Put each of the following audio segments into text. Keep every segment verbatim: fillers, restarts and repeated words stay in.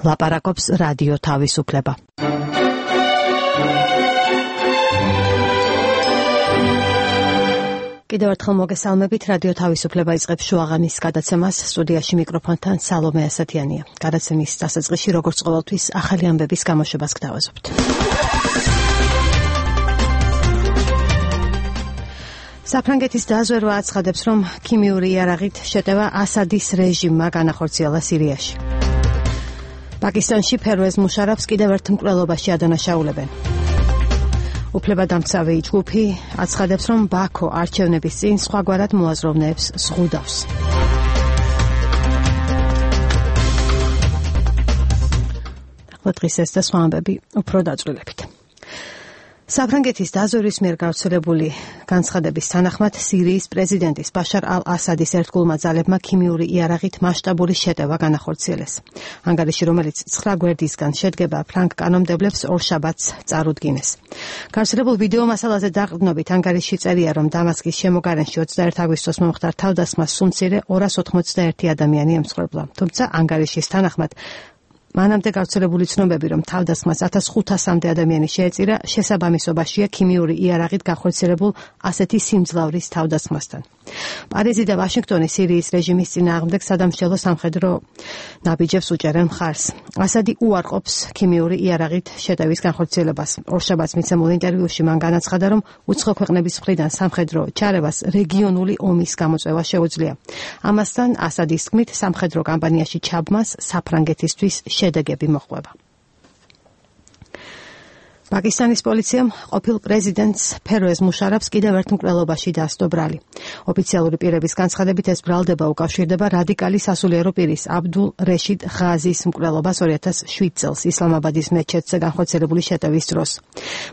ლაპარაკობს რადიო თავისუფლება. კიდევ ერთხელ მოგესალმებით, რადიო თავისუფლება იწყებს შუაღამის გადაცემას, სტუდიაში მიკროფონთან სალომე ასათიანია. გადაცემის დასაწყისში როგორც ყოველთვის ახალი ამბების გამოშვებას გთავაზობთ. საფრანგეთის დაზვერვა აცხადებს, რომ ქიმიური იარაღით შეტევა ასადის რეჟიმმა განახორციელა სირიაში. პაკისტანში ფერვეზ მუშარაფს კიდევ ერთ მკვლელობაში ადანაშაულებენ. უფლებადამცავი ჯგუფი აცხადებს, რომ ბაქო არჩევნების წინ სხვაგვარად მოაზროვნეებს ზღუდავს. ახლა დღის ეს და სხვა ამბები უფრო დაწვრილებით. საფრანგეთის დაზვერვის მიერ გავრცელებული განცხადების თანახმად სირიის პრეზიდენტის ბაშარ ალ-ასადის ერთგულმა ძალებმა ქიმიური იარაღით მასშტაბური შეტევა განახორციელეს. ანგარიში, რომელიც ცხრა გვერდისგან შედგება, ფრანგ კანონმდებლებს ორშაბათს წარუდგინეს. გავრცელებულ ვიდეო მასალაზე დაყრდნობით ანგარიში წერია, რომ დამასკის შემოგარენში ოცდაერთი აგვისტოს მომხდარ თავდასხმას სუმცირე ორას ოთხმოცდაერთი ადამიანი ემსხვერპლა. თუმცა ანგარიშის თანახმად მანამდე გავრცელებული ცნობები, რომ თავდასხმას ათას ხუთასამდე ადამიანი შეეწირა, შესაბამისობაშია ქიმიური იარაღით განხორციელებულ ასეთი სიმძლავრის თავდასხმასთან. პარიზი და ვაშინგტონი სირიის რეჟიმის წინააღმდეგ სადამსჯელო სამხედრო ნაბიჯებს უჭერენ მხარს. ასადი უარყოფს ქიმიური იარაღით შეტევის განხორციელებას. ორშაბათს მიცემულ ინტერვიუში მან განაცხადა, რომ უცხო ქვეყნების მხრიდან სამხედრო ჩარევას რეგიონული ომის გამოწვევა შეუძლია. ამასთან ასადის თქმით, სამხედრო კამპანიაში ჩაბმას საფრანგეთისთვის შედეგები მოჰყვება. პაკისტანის პოლიციამ ყოფილ პრეზიდენტს ფერვეზ მუშარაფს კიდევ ერთ მკვლელობაში დასდო ბრალი. ოფიციალური პირების განცხადებით ეს ბრალდება უკავშირდება რადიკალი სასულიერო პირის აბდულ რეშიდ ღაზის მკვლელობას ორი ათას შვიდ წელს ისლამაბადის მეჩეთზე განხორციელებული შეტევის დროს.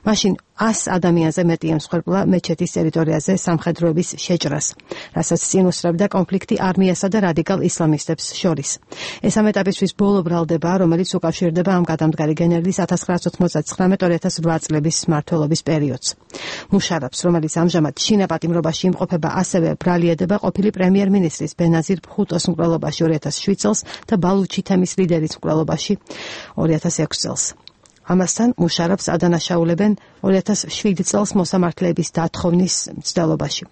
მაშინ ას ადამიანზე მეტი ემსხვერპლა მეჩეთის ტერიტორიაზე სამხედროების შეჭრას, რასაც წინ უსწრებდა კონფლიქტი არმიასა და რადიკალ ისლამისტებს შორის. ეს ამ ეტაპისთვის ბოლო ბრალდება, რომელიც უკავშირდება ამ გადამდგარი გენერლის ათას ცხრაას ოცდაათი ორი ათას რვა წლების მმართველობის პერიოდს. მუშარაფს, რომელიც ამჟამად შინაპატიმრობაში იმყოფება, ასევე ბრალieდება ყოფილი პრემიერ-მინისტრის ბენაზირ ბჰუტოს მკვლელობაში ორი ათას შვიდ წელს და ბალუჩი თემის ლიდერის მკვლელობაში ორი ათას ექვსი წელს. ამასთან მუშარაფს ადანაშაულებენ ორი ათას შვიდ წელს მოსამართლეების დათხოვნის მცდელობაში.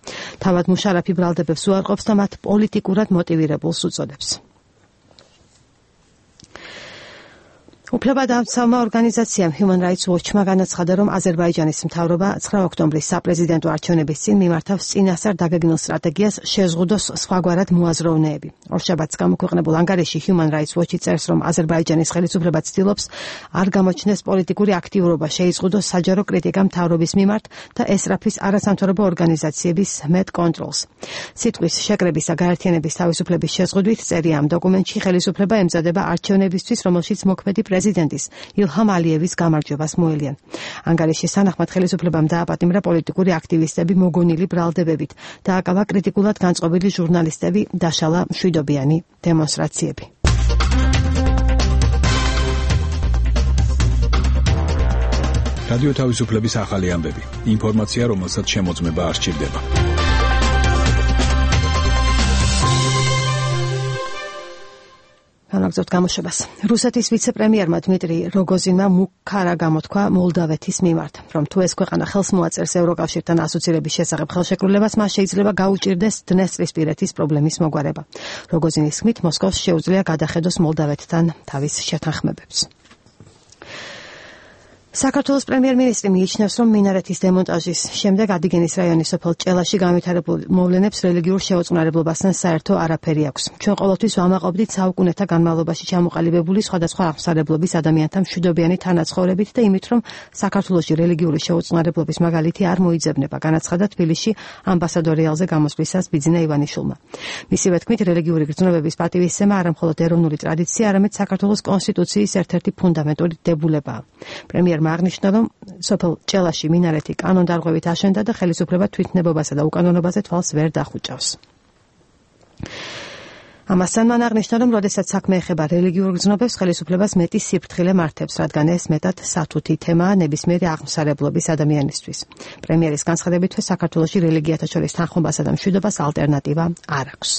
თავად მუშარაფი ბრალდებებს უარყოფს და მათ პოლიტიკურად მოტივირებულს უწოდებს. უფლებადამცავმა ორგანიზაციამ Human Rights Watch-მა განაცხადა, რომ აზერბაიჯანის მთავრობა ცხრა ოქტომბრის საპრეზიდენტო არჩევნების წინ მიმართავს წინასწარ დაგეგმილ სტრატეგიას შეზღუდოს სხვაგვარად მოაზროვნეები. ორშაბათს გამოქვეყნებულ ანგარიში Human Rights Watch-ი წერს, რომ აზერბაიჯანის ხელისუფლება ცდილობს არ გამოჩნდეს პოლიტიკური აქტიურობა, შეიზღუდოს საჯარო კრიტიკა მთავრობის მიმართ და ესწრაფის არასამთავრობო ორგანიზაციების მეტ კონტროლს. სიტყვის შეკრების და გაერთიანების თავისუფლების შეზღუდვით წერია ამ დოკუმენტში ხელისუფლება ემზადება არჩევნებისთვის, რომელშიც მოქმედი პრეზიდენტის ილჰამ ალიევის გამარჯვებას მოელიან. ანგარიშის თანახმად ხელისუფლებამ დააპატიმრა პოლიტიკური აქტივისტები მოგონილი ბრალდებებით, დააკავა კრიტიკულად განწყობილი ჟურნალისტები, დაშალა მშვიდობიანი დემონსტრაციები. რადიო თავისუფლების ახალი ამბები. ინფორმაცია, რომელსაც შემოწმება არ სჭირდება. განაგზავთ გამოშვებას. რუსეთის ვიცე-პრემიერმა დმიტრი როგოზინმა მუქარა გამოთქვა მოლდავეთის მიმართ, რომ თუ ეს ქვეყანა ხელს მოაწერს ევროკავშირთან ასოცირების შესახებ ხელშეკრულებას, მას შეიძლება გაუჭირდეს დნესტრისპირეთის პრობლემის მოგვარება. როგოზინის თქმით, მოსკოვს შეუძლია გადახედოს მოლდავეთთან თავის შეთანხმებებს. საქართველოს პრემიერ-მინისტრი მიიჩნევს, რომ მინარეთის დემონტაჟის შემდეგ ადიგენის რაიონის სოფელ ჭელაში განვითარებულ მოვლენებს რელიგიურ შეუწყნარებლობასთან საერთო არაფერი აქვს. ჩვენ ყოველთვის ვამაყობდით საუკუნეთა განმავლობაში ჩამოყალიბებული სხვადასხვა აღმსარებლობის ადამიანთა მშვიდობიანი თანაცხოვრებით და იმით, რომ საქართველოში რელიგიური შეუწყნარებლობის მაგალითი არ მოიძებნება, განაცხადა თბილისში ამბასადორიალზე გამოსვლისას ბიძინა ივანიშვილმა. მისივე თქმით, რელიგიური გრძნობების პატივისცემა არა მხოლოდ ეროვნული ტრადიცია, არამედ საქართველოს კონსტიტუციის ერთ-ერთი ფუნდამენტური დებულებაა. პრემიერ აღნიშნა, რომ სოფელ ჭელაში მინარეთი კანონდარღვევით აშენდა და ხელისუფლება თვითნებობასა და უკანონობაზე თვალს ვერ დახუჭავს. ამასთან მან აღნიშნა, რომ როდესაც საქმე ეხება რელიგიურ გრძნობებს, ხელისუფლებას მეტი სიფრთხილე მართებს, რადგან ეს მეტად სათუთი თემაა ნებისმიერი აღმსარებლობის ადამიანისთვის. პრემიერის განცხადებით, საქართველოში რელიგიათა შორის თანხმობასა და მშვიდობას ალტერნატივა არ აქვს.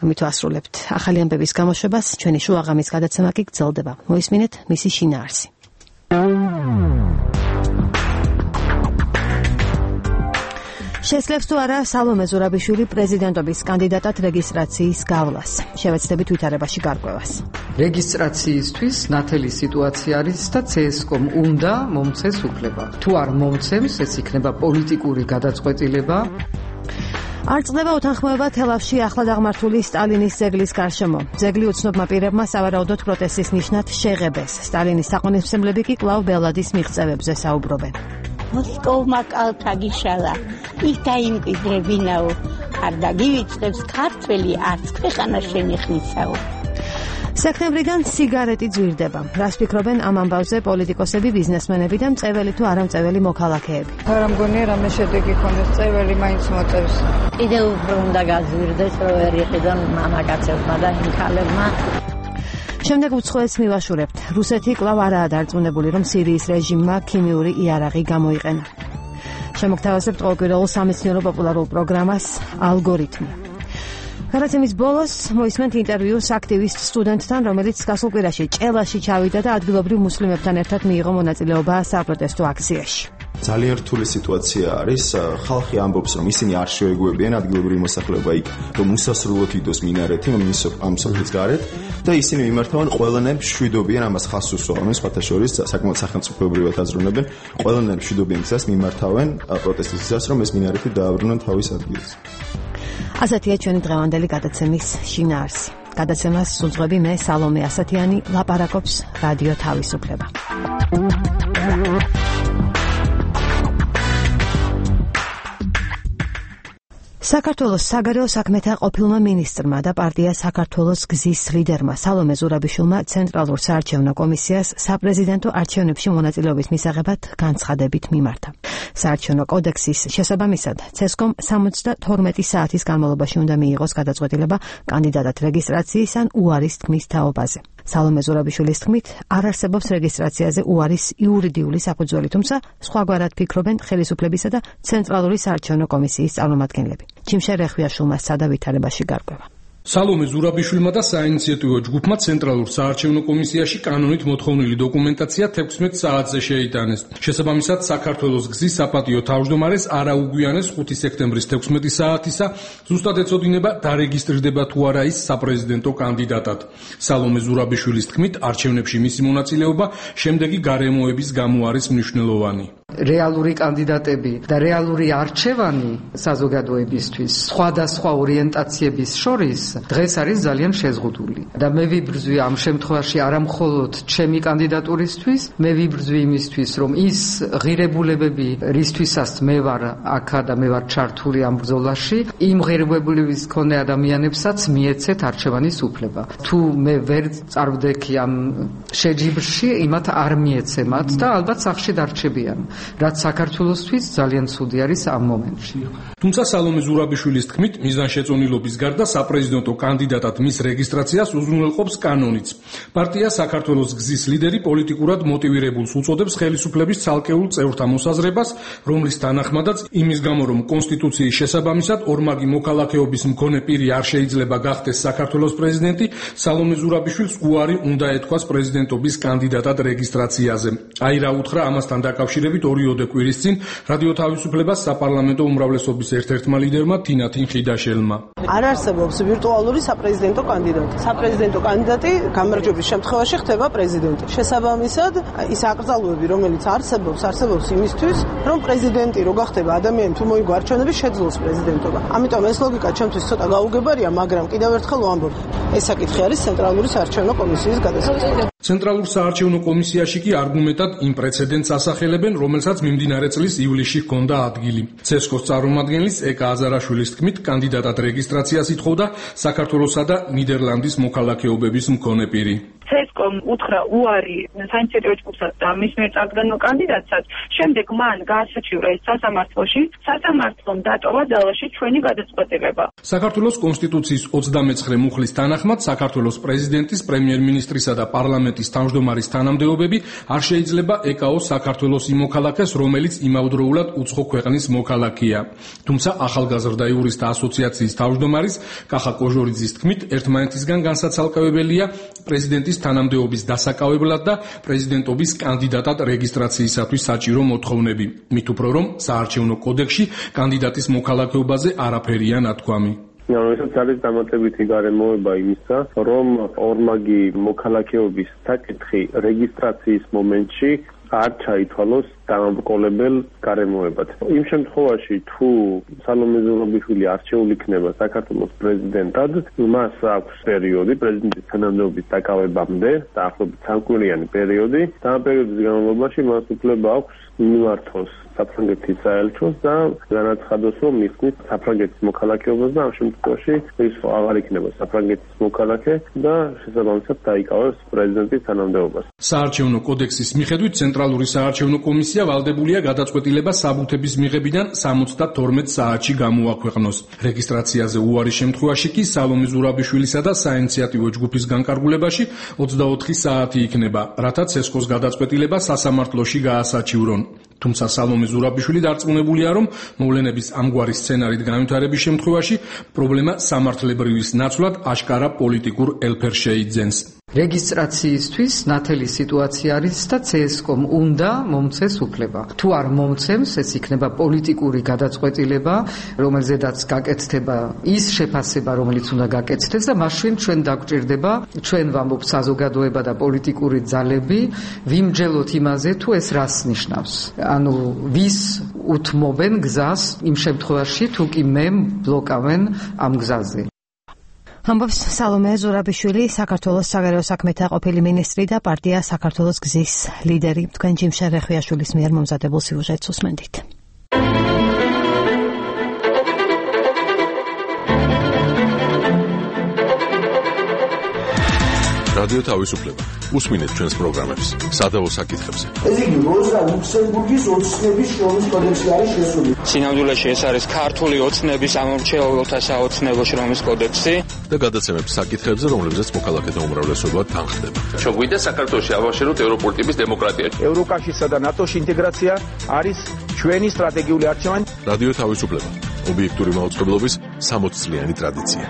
ამით ვასრულებთ ახალი ამბების გამოშვებას, ჩვენი შუაღამის გადაცემა კი გრძელდება. მოისმინეთ მისი შინაარსი. შეძლებს თუ არა სალომე ზურაბიშვილი პრეზიდენტობის კანდიდატად რეგისტრაციის გავლას? შევეცდებით ვითარებაში გარკვევას. რეგისტრაციისთვის ნათელი სიტუაცია არის და ცსკომ უნდა მომცეს უფლება. თუ არ მომცემს, ეს იქნება პოლიტიკური გადაწყვეტილება. არ წყდება უთანხმოება თელავში ახლად აღმართული სტალინის ძეგლის გარშემო. ძეგლი უცნობმა პირებმა სავარაუდოდ პროტესტის ნიშნად შეღებეს. სტალინის თაყვანისმცემლები კი კვლავ ბელადის მიღწევებზე საუბრობენ. მოსკოვმა კალთა გიშალა, იქ დაიმკვიდრებინაო, არ დაგივიწყებს ქართველი არც ქვეყანა შენიხნისაო. სექტემბრიდან სიგარეტი ძვირდება. რას ფიქრობენ ამ ამბავზე პოლიტიკოსები, ბიზნესმენები და მწეველი თუ არამწეველი მოქალაქეები? არა მგონია რამე შედეგი ქონდეს, წეველი მაინც მოწევს. კიდევ უფრო უნდა გაძვირდეს, რომ ვერ იყიდონ მამაკაცებმა და იმ ქალებმა. შემდეგ უცხოეთს მივაშურებთ. რუსეთი კვლავ არაა დარწმუნებული, რომ სირიის რეჟიმმა ქიმიური იარაღი გამოიყენა. შემოგთავაზებთ ყოველკვირეულ სამეცნიერო პოპულარულ პროგრამას ალგორითმი. გადაცემის ბოლოს მოისმენთ ინტერვიუს აქტივისტ სტუდენტთან, რომელიც გასულ კვირაში ჭელაში ჩავიდა და ადგილობრივ მუსლიმებთან ერთად მიიღო მონაწილეობა საპროტესტო აქციაში. ძალიან რთული სიტუაცია არის. ხალხი ამბობს, რომ ისინი არ შეეგუებიან ადგილობრივი მოსახლეობა იქ, რომ უსასრულოდ იდოს მინარეთი ამ სოფლის გარეთ და ისინი მიმართავენ ყველანაირ მშვიდობიან, ამას ხაზს უსვამენ, სხვათა შორის საკმაოდ სახელმწიფოებრივად აზროვნებენ, ყველანაირ მშვიდობიან გზას მიმართავენ პროტესტის გზას, რომ ეს მინარეთი დააბრუნონ თავის ადგილზე. ასეთია ჩვენი დღევანდელი გადაცემის შინაარსი. გადაცემას სულძღვები მე სალომე ასათიანი, ლაპარაკობს რადიო თავისუფლება. საქართველოს საგარეო საქმეთა ყოფილმა მინისტრმა და პარტია საქართველოს გზის ლიდერმა სალომე ზურაბიშვილმა ცენტრალურ საარჩევნო კომისიას საპრეზიდენტო არჩევნებში მონაწილეობის მისაღებად განცხადებით მიმართა. საარჩევნო კოდექსის შესაბამისად ცსკომ სამოცდათორმეტი საათის განმავლობაში უნდა მიიღოს გადაწყვეტილება კანდიდატად რეგისტრაციის ან უარის თქმის თაობაზე. სალომე ზურაბიშვილის თქმით, არ არსებობს რეგისტრაციაზე უარის იურიდიული საფუძველი, თუმცა სხვაგვარად ფიქრობენ ხელისუფლებისა და ცენტრალური საარჩევნო კომისიის წარმომადგენლები. ჩიმშე რეხვიაშვილმა სცადა ვითარებაში გარკვევა. სალომე ზურაბიშვილმა და საინიციატივო ჯგუფმა ცენტრალურ საარჩევნო კომისიაში კანონით მოთხოვნილი დოკუმენტაცია თექვსმეტ საათზე შეიტანეს. შესაბამისად, საქართველოს გზის საპატიო თავმჯდომარეს არ აუგვიანეს ხუთი სექტემბრის თექვსმეტი საათისა ზუსტად ეწოდინება დარეგისტრირდება თუ არა ის საპრეზიდენტო კანდიდატად. სალომე ზურაბიშვილის თქმით, არჩევნებში მისი მონაწილეობა შემდეგი გარემოების გამო არის მნიშვნელოვანი. რეალური კანდიდატები და რეალური არჩევანი საზოგადოებისთვის სხვადასხვა ორიენტაციების შორის დღეს არის ძალიან შეზღუდული და მე ვიბრძვი ამ შემთხვევაში არა მხოლოდ ჩემი კანდიდატურისთვის, მე ვიბრძვი იმისთვის, რომ ის ღირებულებები, რისთვისაც მე ვარ აქა და მე ვარ ჩართული ამ ბრძოლაში, იმ ღირებულების მქონე ადამიანებსაც მიეცეთ არჩევანის უფლება. თუ მე ვერ წარვდექი ამ შეჯიბრში, იმათ არ მიეცემათ და ალბათ სახლში დარჩებიან. რაც საქართველოსთვის ძალიან ცუდი არის ამ მომენტში. თუმცა სალომე ზურაბიშვილის თქმით, მიზანშეწონილობის გარდა საპრეზიდენტო კანდიდატად მის რეგისტრაციას უზრუნველყოფს კანონიც. პარტია საქართველოს გზის ლიდერი პოლიტიკურად მოტივირებულს უწოდებს ხელისუფლების ცალკეულ წევრთა მოსაზრებას, რომლის თანახმადაც იმის გამო, რომ კონსტიტუციის შესაბამისად ორმაგი მოქალაქეობის მქონე პირი არ შეიძლება გახდეს საქართველოს პრეზიდენტი, სალომე ზურაბიშვილს უარი უნდა ეთქვას პრეზიდენტობის კანდიდატად რეგისტრაციაზე. აი რა უთხრა ამასთან დაკავშირებით ორიოდე კვირის წინ რადიო თავისუფლებას საპარლამენტო უმრავლესობის ერთ-ერთმა ლიდერმა თინათინ ხიდაშელმა. არ არსებობს ვირტუალური საპრეზიდენტო კანდიდატი. საპრეზიდენტო კანდიდატი გამარჯვების შემთხვევაში ხდება პრეზიდენტი. შესაბამისად, ის აკრძალვები, რომელიც არსებობს, არსებობს იმისთვის, რომ პრეზიდენტი რო გახდება ადამიანი თუ მოიგო არჩევნები შეძლოს პრეზიდენტობა. ამიტომ ეს ლოგიკა ჩემთვის ცოტა გაუგებარია, მაგრამ კიდევ ერთხელ ვამბობ, ეს საკითხი არის ცენტრალური საარჩევნო კომისიის გადასაწყვეტი. ცენტრალურ საარჩევნო კომისიაში კი არგუმენტად იმ პრეცედენტს ასახელებენ, რომელსაც მიმდინარე წლის ივლისში ჰქონდა ადგილი. ცსკოს წარმომადგენლის ეკა აზარაშვილის თქმით, კანდიდატად რეგისტრაციას ითხოვდა საქართველოსა და ნიდერლანდის მოქალაქეობების მქონე პირი. ცსკ ცესკომ უთხრა უარი საინიციატივო ჯგუფსაც და მის მიერ წარდგენილ კანდიდატსაც, შემდეგ მან გაასაჩივრა ეს სასამართლოში, სასამართლომ დატოვა ძალაში ჩვენი გადაწყვეტილება. საქართველოს კონსტიტუციის ოცდამეცხრე მუხლის თანახმად საქართველოს პრეზიდენტის, პრემიერ-მინისტრისა და პარლამენტის თავმჯდომარის თანამდებობები არ შეიძლება ეკაოს საქართველოს იმ მოქალაქეს, რომელიც იმავდროულად უცხო ქვეყნის მოქალაქეა. თუმცა ახალგაზრდა იურისტთა ასოციაციის თავმჯდომარის კახა კოჟორიძის თქმით, ერთმანეთისგან განსაცალკევებელია პრეზიდენტის თანამდებობის დასაკავებლად და პრეზიდენტობის კანდიდატად რეგისტრაციისათვის საჭირო მოთხოვნები. მით უფრო რომ საარჩევნო კოდექსში კანდიდატის მოქალაქეობაზე არაფერია ნათქვამი. ეს არის დამატებითი გარემოება იმისა, რომ ორმაგი მოქალაქეობის საკითხი რეგისტრაციის მომენტში არ ჩაითვალოს დამამკოლებელ გარემოებად. იმ შემთხვევაში, თუ სალომე ზურაბიშვილი არჩეულ იქნება საქართველოს პრეზიდენტად, მას აქვს პერიოდი პრეზიდენტის თანამდებობის დაკავებამდე, დაახლოებით სამკვირიანი პერიოდი, და ამ პერიოდის განმავლობაში მას უფლება აქვს მიმართოს საფრანგეთის საელჩოს და განაცხადოს, რომ მისცემს საფრანგეთის მოქალაქეობას და ამ შემთხვევაში ის აღარ იქნება საფრანგეთის მოქალაქე და შესაბამისად დაიკავებს პრეზიდენტის თანამდებობას. საარჩევნო კოდექსის მიხედვით ცენტრალური საარჩევნო კომისია ვალდებულია გადაწყვეტილება საბუთების მიღებიდან სამოცდათორმეტ საათში გამოაქვეყნოს. რეგისტრაციაზე უარის შემთხვევაში კი სალომე ზურაბიშვილისა და საინიციატივო ჯგუფის განკარგულებაში ოცდაოთხი საათი იქნება, რათა ცესკოს გადაწყვეტილება სასამართლოში გაასაჩივრონ. თუმცა სალომე ზურაბიშვილი დარწმუნებულია, რომ მოვლენების ამგვარი სცენარით განვითარების შემთხვევაში პრობლემა სამართლებრივის ნაცვლად აშკარა პოლიტიკურ ელფერს შეიძენს. რეგისტრაციისთვის ნათელი სიტუაცია არის და ცესკომ უნდა მომცეს უფლება. თუ არ მომცემს, ეს იქნება პოლიტიკური გადაწყვეტილება, რომელზედაც გაკეთდება ის შეფასება, რომელიც უნდა გაკეთდეს და მაშინ ჩვენ დაგვჭირდება, ჩვენ ვამბობთ საზოგადოება და პოლიტიკური ძალები, ვიმჯელოთ იმაზე, თუ ეს რას ნიშნავს. ანუ ვის უთმობენ გზას იმ შემთხვევაში, თუ კი მე ბლოკავენ ამ გზაზე. ამბობს სალომე ზურაბიშვილი, საქართველოს საგარეო საქმეთა ყოფილი მინისტრი და პარტია საქართველოს გზის ლიდერი. თქვენ ჯიმშა რეხვიაშვილის მიერ მომზადებულ სიუჟეტს უსმენთ. რადიო თავისუფლება. უსმინეთ ჩვენს პროგრამებს სადავო საკითხებზე. ეს იგი როზა ლუქსემბურგის ოცნების შრომის კოდექსი არის შესული. სინამდვილეში ეს არის ქართული ოცნების ამორჩეულთა საოცნებო შრომის კოდექსი და გადაცემებს საკითხებზე, რომლებზეც მოქალაქეთა უმრავლესობა თანხდება. ჩოგვიდა საქართველოში ავაშეროთ ევროპული ტიპის დემოკრატია. ევროკავშირსა და ნატოში ინტეგრაცია არის ჩვენი სტრატეგიული არჩევანი. რადიო თავისუფლება. ობიექტური მაუწყებლობის სამოცი წლიანი ტრადიცია.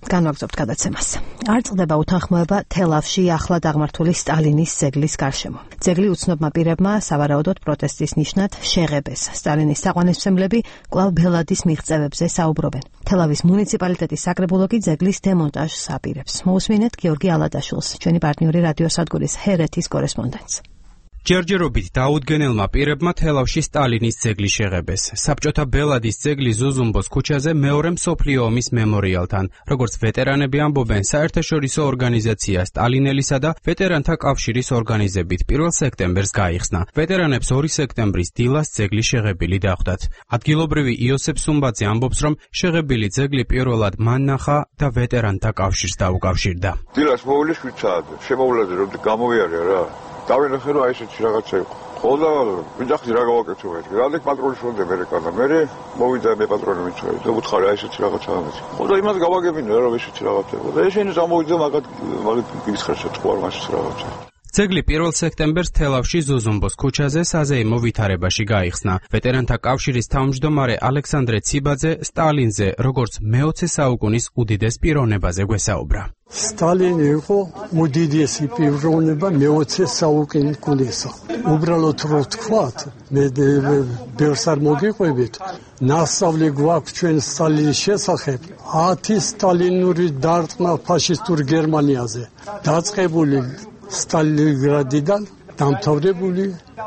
განვაგრძობთ გადაცემას. არ წყდება უთანხმოება თელავში ახლად აღმართული სტალინის ძეგლის გარშემო. ძეგლი უცნობმა პირებმა სავარაუდოდ პროტესტის ნიშნად შეღებეს. სტალინის თაყვანისმცემლები კვლავ ბელადის მიღწევებზე საუბრობენ. თელავის მუნიციპალიტეტის საკრებულო კი ძეგლის დემონტაჟს აპირებს. მოусმინეთ გიორგი ალადაშვილს, ჩვენი პარტნიორი რადიოსადგურის ჰერეთის კორესპონდენტს. ჯერჯერობით დაუდგენელმა პირებმა თელავში სტალინის ძეგლი შეღებეს. საბჭოთა ბელადის ძეგლი ზუზუმბოს ქუჩაზე მეორე მსოფლიო ომის მემორიალთან. როგორც ვეტერანები ამბობენ, საერთაშორისო ორგანიზაცია სტალინელისა და ვეტერანთა კავშირის ორგანიზებით პირველ სექტემბერს გაიხსნა. ვეტერანებს ორი სექტემბრის დილას ძეგლი შეღებილი დახვდათ. ადგილობრივი იოსებ სუმბაძე ამბობს, რომ შეღებილი ძეგლი პირველად მან ნახა და ვეტერანთა კავშირს დაუკავშირდა. დილას მოვლის ვიცაად, შემოვლაზე რომ გამოვიარე რა. დავინახე რომ აი ესეთი რაღაცა იყო. ხო და ვიძახი რა გავაკეთო მე. რადგან პატრონის უნდა მერეკანა. მე მოვიდა მე პატრონი მიცხოვე და უთხარი აი ესეთი რაღაცა ამეთი. ხო და იმას გავაგებინე რომ ესეთი რაღაცა იყო. და ესენი გამოვიდა მაგათ მაგათ გიცხერშა თქვა რომ ასეთი რაღაცა. ძეგლი პირველ სექტემბერს თელავში ზუზუმბოს ქუჩაზე საზეიმო ვითარებაში გაიხსნა. ვეტერანთა კავშირის თავმჯდომარე ალექსანდრე ციბაძე სტალინზე, როგორც მეოცე საუკუნის უდიდეს პიროვნებაზე გვესაუბრა. სტალინი იყო უდიდესი პიროვნება მეოცე საუკუნესა. უბრალოდ რო თქვათ, მე ბევრს არ მოგიყვებით, ნასწავლი გვაქვს ჩვენ სტალინის შესახებ ათი სტალინური დარტყმა ფაშისტურ გერმანიაზე. დაწყებული სტალინგრადიდან დამთავრებული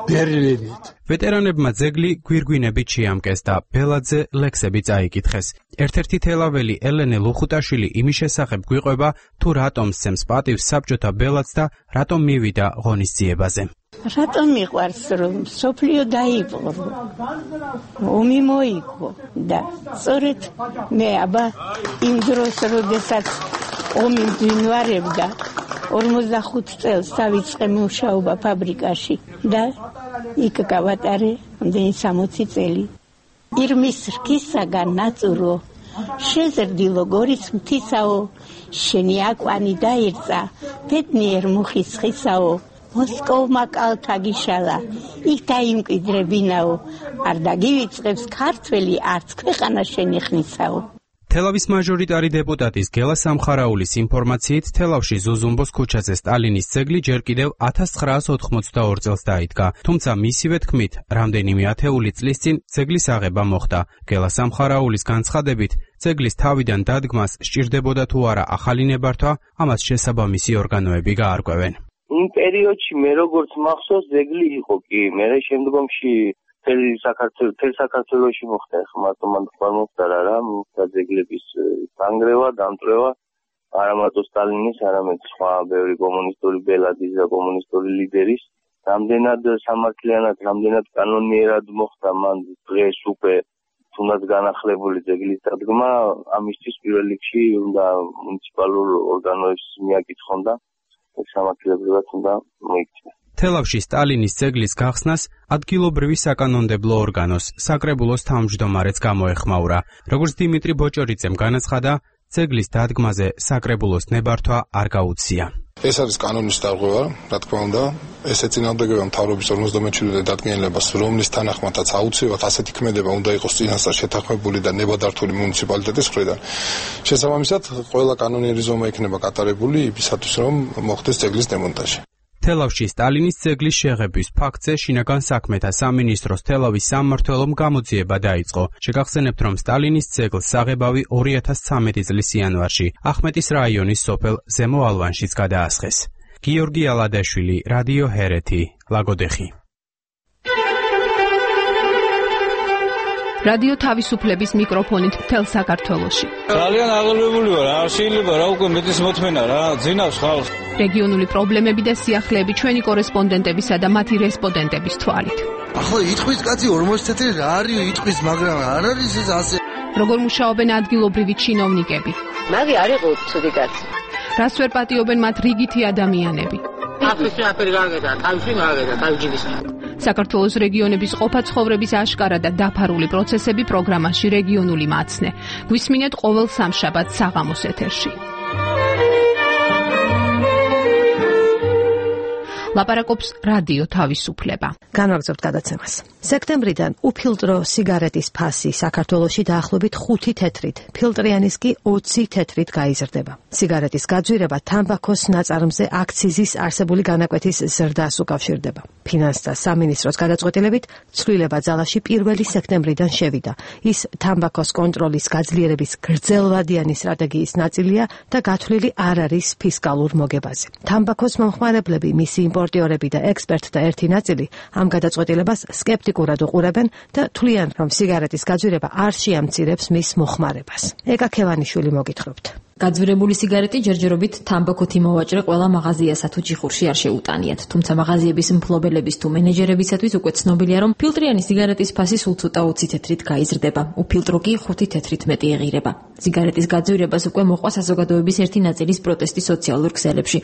ბერლინით. ვეტერანებმა ძეგლი გვირგვინებით შეამკეს და ბელაძე ლექსები წაიკითხეს. ერთ-ერთი თელაველი ელენე ლუხუტაშვილი იმის შესახებ გვიყვება, თუ რატომ სცემს პატივს საბჭოთა ბელადს და რატომ მივიდა ღონისძიებაზე. რატომ მიყვარს რომ სოფლიო დაიპყრო, ომი მოიგო და სწორედ მე აბა იმ დროს როდესაც ომი მძინვარებდა ორმოცდახუთ წელს დავიწყე მუშაობა ფაბრიკაში და იქ გავატარე ამდენი სამოცი წელი. ირმის რქისაგან ნაწურო შეზრდილო გორის მთისაო, შენი აკვანი დაირწა ბედნიერ მუხის ხისაო, მოსკოვმა კალთა გიშალა, იქ დაიმკვიდრებინაო, არ დაგივიწყებს ქართველი არც ქვეყანა შენი ხნისაო. თელავის მაჟორიტარი დეპუტატის გელა სამხარაულის ინფორმაციით, თელავში ზუზუმბოს ქუჩაზე სტალინის ძეგლი ჯერ კიდევ ათას ცხრაას ოთხმოცდაორ წელს დაიდგა, თუმცა მისივე თქმით, რამდენიმე ათეული წლის წინ ძეგლის აღება მოხდა. გელა სამხარაულის განცხადებით, ძეგლის თავიდან დადგმას სჭირდებოდა თუ არა ახალი ნებართვა, ამას შესაბამისი ორგანოები გაარკვევენ. იმ პერიოდში მე როგორც მახსოვს, ძეგლი იყო კი, მე შემდგომში თელი საქართველოს თელ საქართველოში მოხდა, ხა მარტო მან თქვა მოხდა რა, და ძეგლების დანგრევა, დამწვევა, არა მარტო სტალინის, არამედ სხვა ბევრი კომუნისტური ბელადის და კომუნისტური ლიდერის, რამდენად სამართლიანად, რამდენად კანონიერად მოხდა მან დღეს უკვე თუნდაც განახლებული ძეგლის დადგმა, ამისთვის პირველ რიგში უნდა მუნიციპალურ ორგანოებს მიაკითხონ და სამართლებრივად უნდა მოიქცეს. თელავში სტალინის ძეგლის გახსნას ადგილობრივი საკანონმდებლო ორგანოს, საკრებულოს თავმჯდომარეც გამოეხმაურა. როგორც დიმიტრი ბოჭორიძემ განაცხადა, ძეგლის დადგმაზე საკრებულოს ნებართვა არ გაუწია. ეს არის კანონის დარღვევა, რა თქმა უნდა, ეს ეწინააღმდეგება მთავრობის ორმოცდამეჩვიდმეტე დადგენილებას, რომლის თანახმადაც აუცილებლად ასეთი ქმედება უნდა იყოს წინასწარ შეთანხმებული და ნებადართული მუნიციპალიტეტის მხრიდან. შესაბამისად, ყველა კანონიერი ზომა იქნება გატარებული იმისათვის, რომ მოხდეს ძეგლის დემონტაჟი. თელავში სტალინის ძეგლის შეღებვის ფაქტზე შინაგან საქმეთა სამინისტროს თელავის სამმართველომ გამოძიება დაიწყო. შეგახსენებთ, რომ სტალინის ძეგლს საღებავი ორი ათას ცხრამეტი წლის იანვარში ახმეტის რაიონის სოფელ ზემო ალვანშიც გადაასხეს. გიორგი ალადაშვილი, რადიო ჰერეთი, ლაგოდეხი. რადიო თავისუფლების მიკროფონით მთელ საქართველოში. ძალიან აღელვებული ვარ, არ შეიძლება რა უკვე მეტის მოთმენა რა, ძინავს ხალხს. რეგიონული პრობლემები და სიახლეები ჩვენი კორესპონდენტებისა და მათი რესპონდენტების თვალით. ახლა იტყვის კაცი ორმოცი თეთრი რა არის იტყვის, მაგრამ არ არის ეს ასე. როგორ მუშაობენ ადგილობრივი ჩინოვნიკები? მაგი არ იყო ცუდი კაცი. რას ვერ პატიობენ მათ რიგითი ადამიანები? აფრიკა აფერი გაგედა, თავში გაგედა, თავჯილის. საქართველოს რეგიონების ყოფა ცხოვრების აშკარა და დაფარული პროცესები პროგრამაში რეგიონული მაცნე. გვისმინეთ ყოველ სამშაბათს საღამოს ეთერში. ლაპარაკობს რადიო თავისუფლება. განვაგრძობთ გადაცემას. სექტემბრიდან უფილტრო სიგარეტის ფასი საქართველოში დაახლოებით ხუთი თეთრით, ფილტრიანის კი ოცი თეთრით გაიზრდება. სიგარეტის გაძვირება თამბაქოს ნაწარმზე აქციზის არსებული განაკვეთის ზრდას უკავშირდება. ფინანსთა სამინისტროს გადაწყვეტილებით ცვლილება ძალაში პირველი სექტემბრიდან შევიდა. ის თამბაქოს კონტროლის გაძლიერების გრძელვადიანი სტრატეგიის ნაწილია და გათვლილი არ არის ფისკალურ მოგებაზე. თამბაქოს მომხმარებლები, მისი იმპორტიორები და ექსპერტთა ერთი ნაწილი ამ გადაწყვეტილებას სკეპტიკურად უყურებენ და თვლიან, რომ სიგარეტის გაძვირება არ შეამცირებს მის მოხმარებას. ეკა ქევანიშვილი მოგითხრობთ. გაძვირებული სიგარეტი ჯერჯერობით თამბაქოთ იმოვაჭრე ყველა მაღაზიასა თუ ჯიხურში არ შეუტანიათ, თუმცა მაღაზიების მფლობელების თუ მენეჯერებისათვის უკვე ცნობილია, რომ ფილტრიანი სიგარეტის ფასი სულ ცოტა ოცი თეთრით გაიზრდება, უფილტრო კი ხუთი თეთრით მეტი ეღირება. სიგარეტის გაძვირებას უკვე მოყვა საზოგადოების ერთი ნაწილის პროტესტი სოციალურ ქსელებში.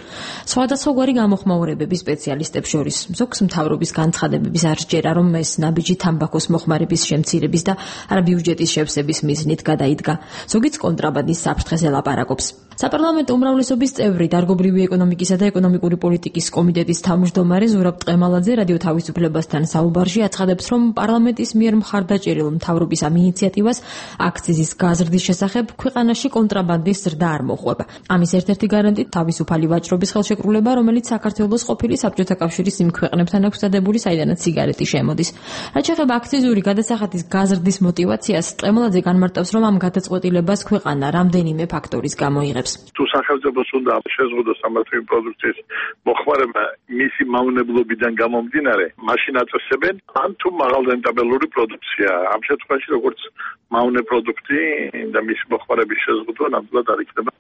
სხვადასხვაგვარი გამოხმაურებების სპეციალისტებს შორის ზოგს მთავრობის განცხადებების არ სჯერა, რომ ეს ნაბიჯი თამბაქოს მოხმარების შემცირების და არა ბიუჯეტის შევსების მიზნით გადაიდგა. ზოგიც კონტრაბანდის საფრთხეზე ლაპარაკობს. საპარლამენტო უმრავლესობის წევრი, დარგობრივი ეკონომიკისა და ეკონომიკური პოლიტიკის კომიტეტის თავმჯდომარე ზურაბ ტყემალაძე რადიო თავისუფლებასთან საუბარში აცხადებს, რომ პარლამენტის მიერ მხარდაჭერილ მთავრობის ამ ინიციატივას აქციზის გაზრდის შესახებ ქვეყანაში კონტრაბანდის ზრდა არ მოყვება. ამის ერთ-ერთი გარანტი თავისუფალი ვაჭრობის ხელშეკრულება, რომელიც საქართველოს ყოფილი საბჭოთა კავშირის იმ ქვეყნებთან აქვს დადებული, საიდანაც სიგარეტი შემოდის. რაც შეეხება აქციზური გადასახადის გაზრდის мотиваციას, ტყემალაძე განმარტავს, რომ ამ გადაწყვეტილებას ქვეყანა რამდენიმე ფაქტორის გამოიღებს. თუ სახელმწიფოს უნდა შეზღუდოს ამათი პროდუქციის მოხმარება მისი მავნებლობიდან გამომდინარე, მაშინ აწესებენ ან თუ მაღალრენტაბელური პროდუქცია. ამ შემთხვევაში როგორც მავნე პროდუქტი და მისი მოხმარების შეზღუდვა ნამდვილად არ იქნება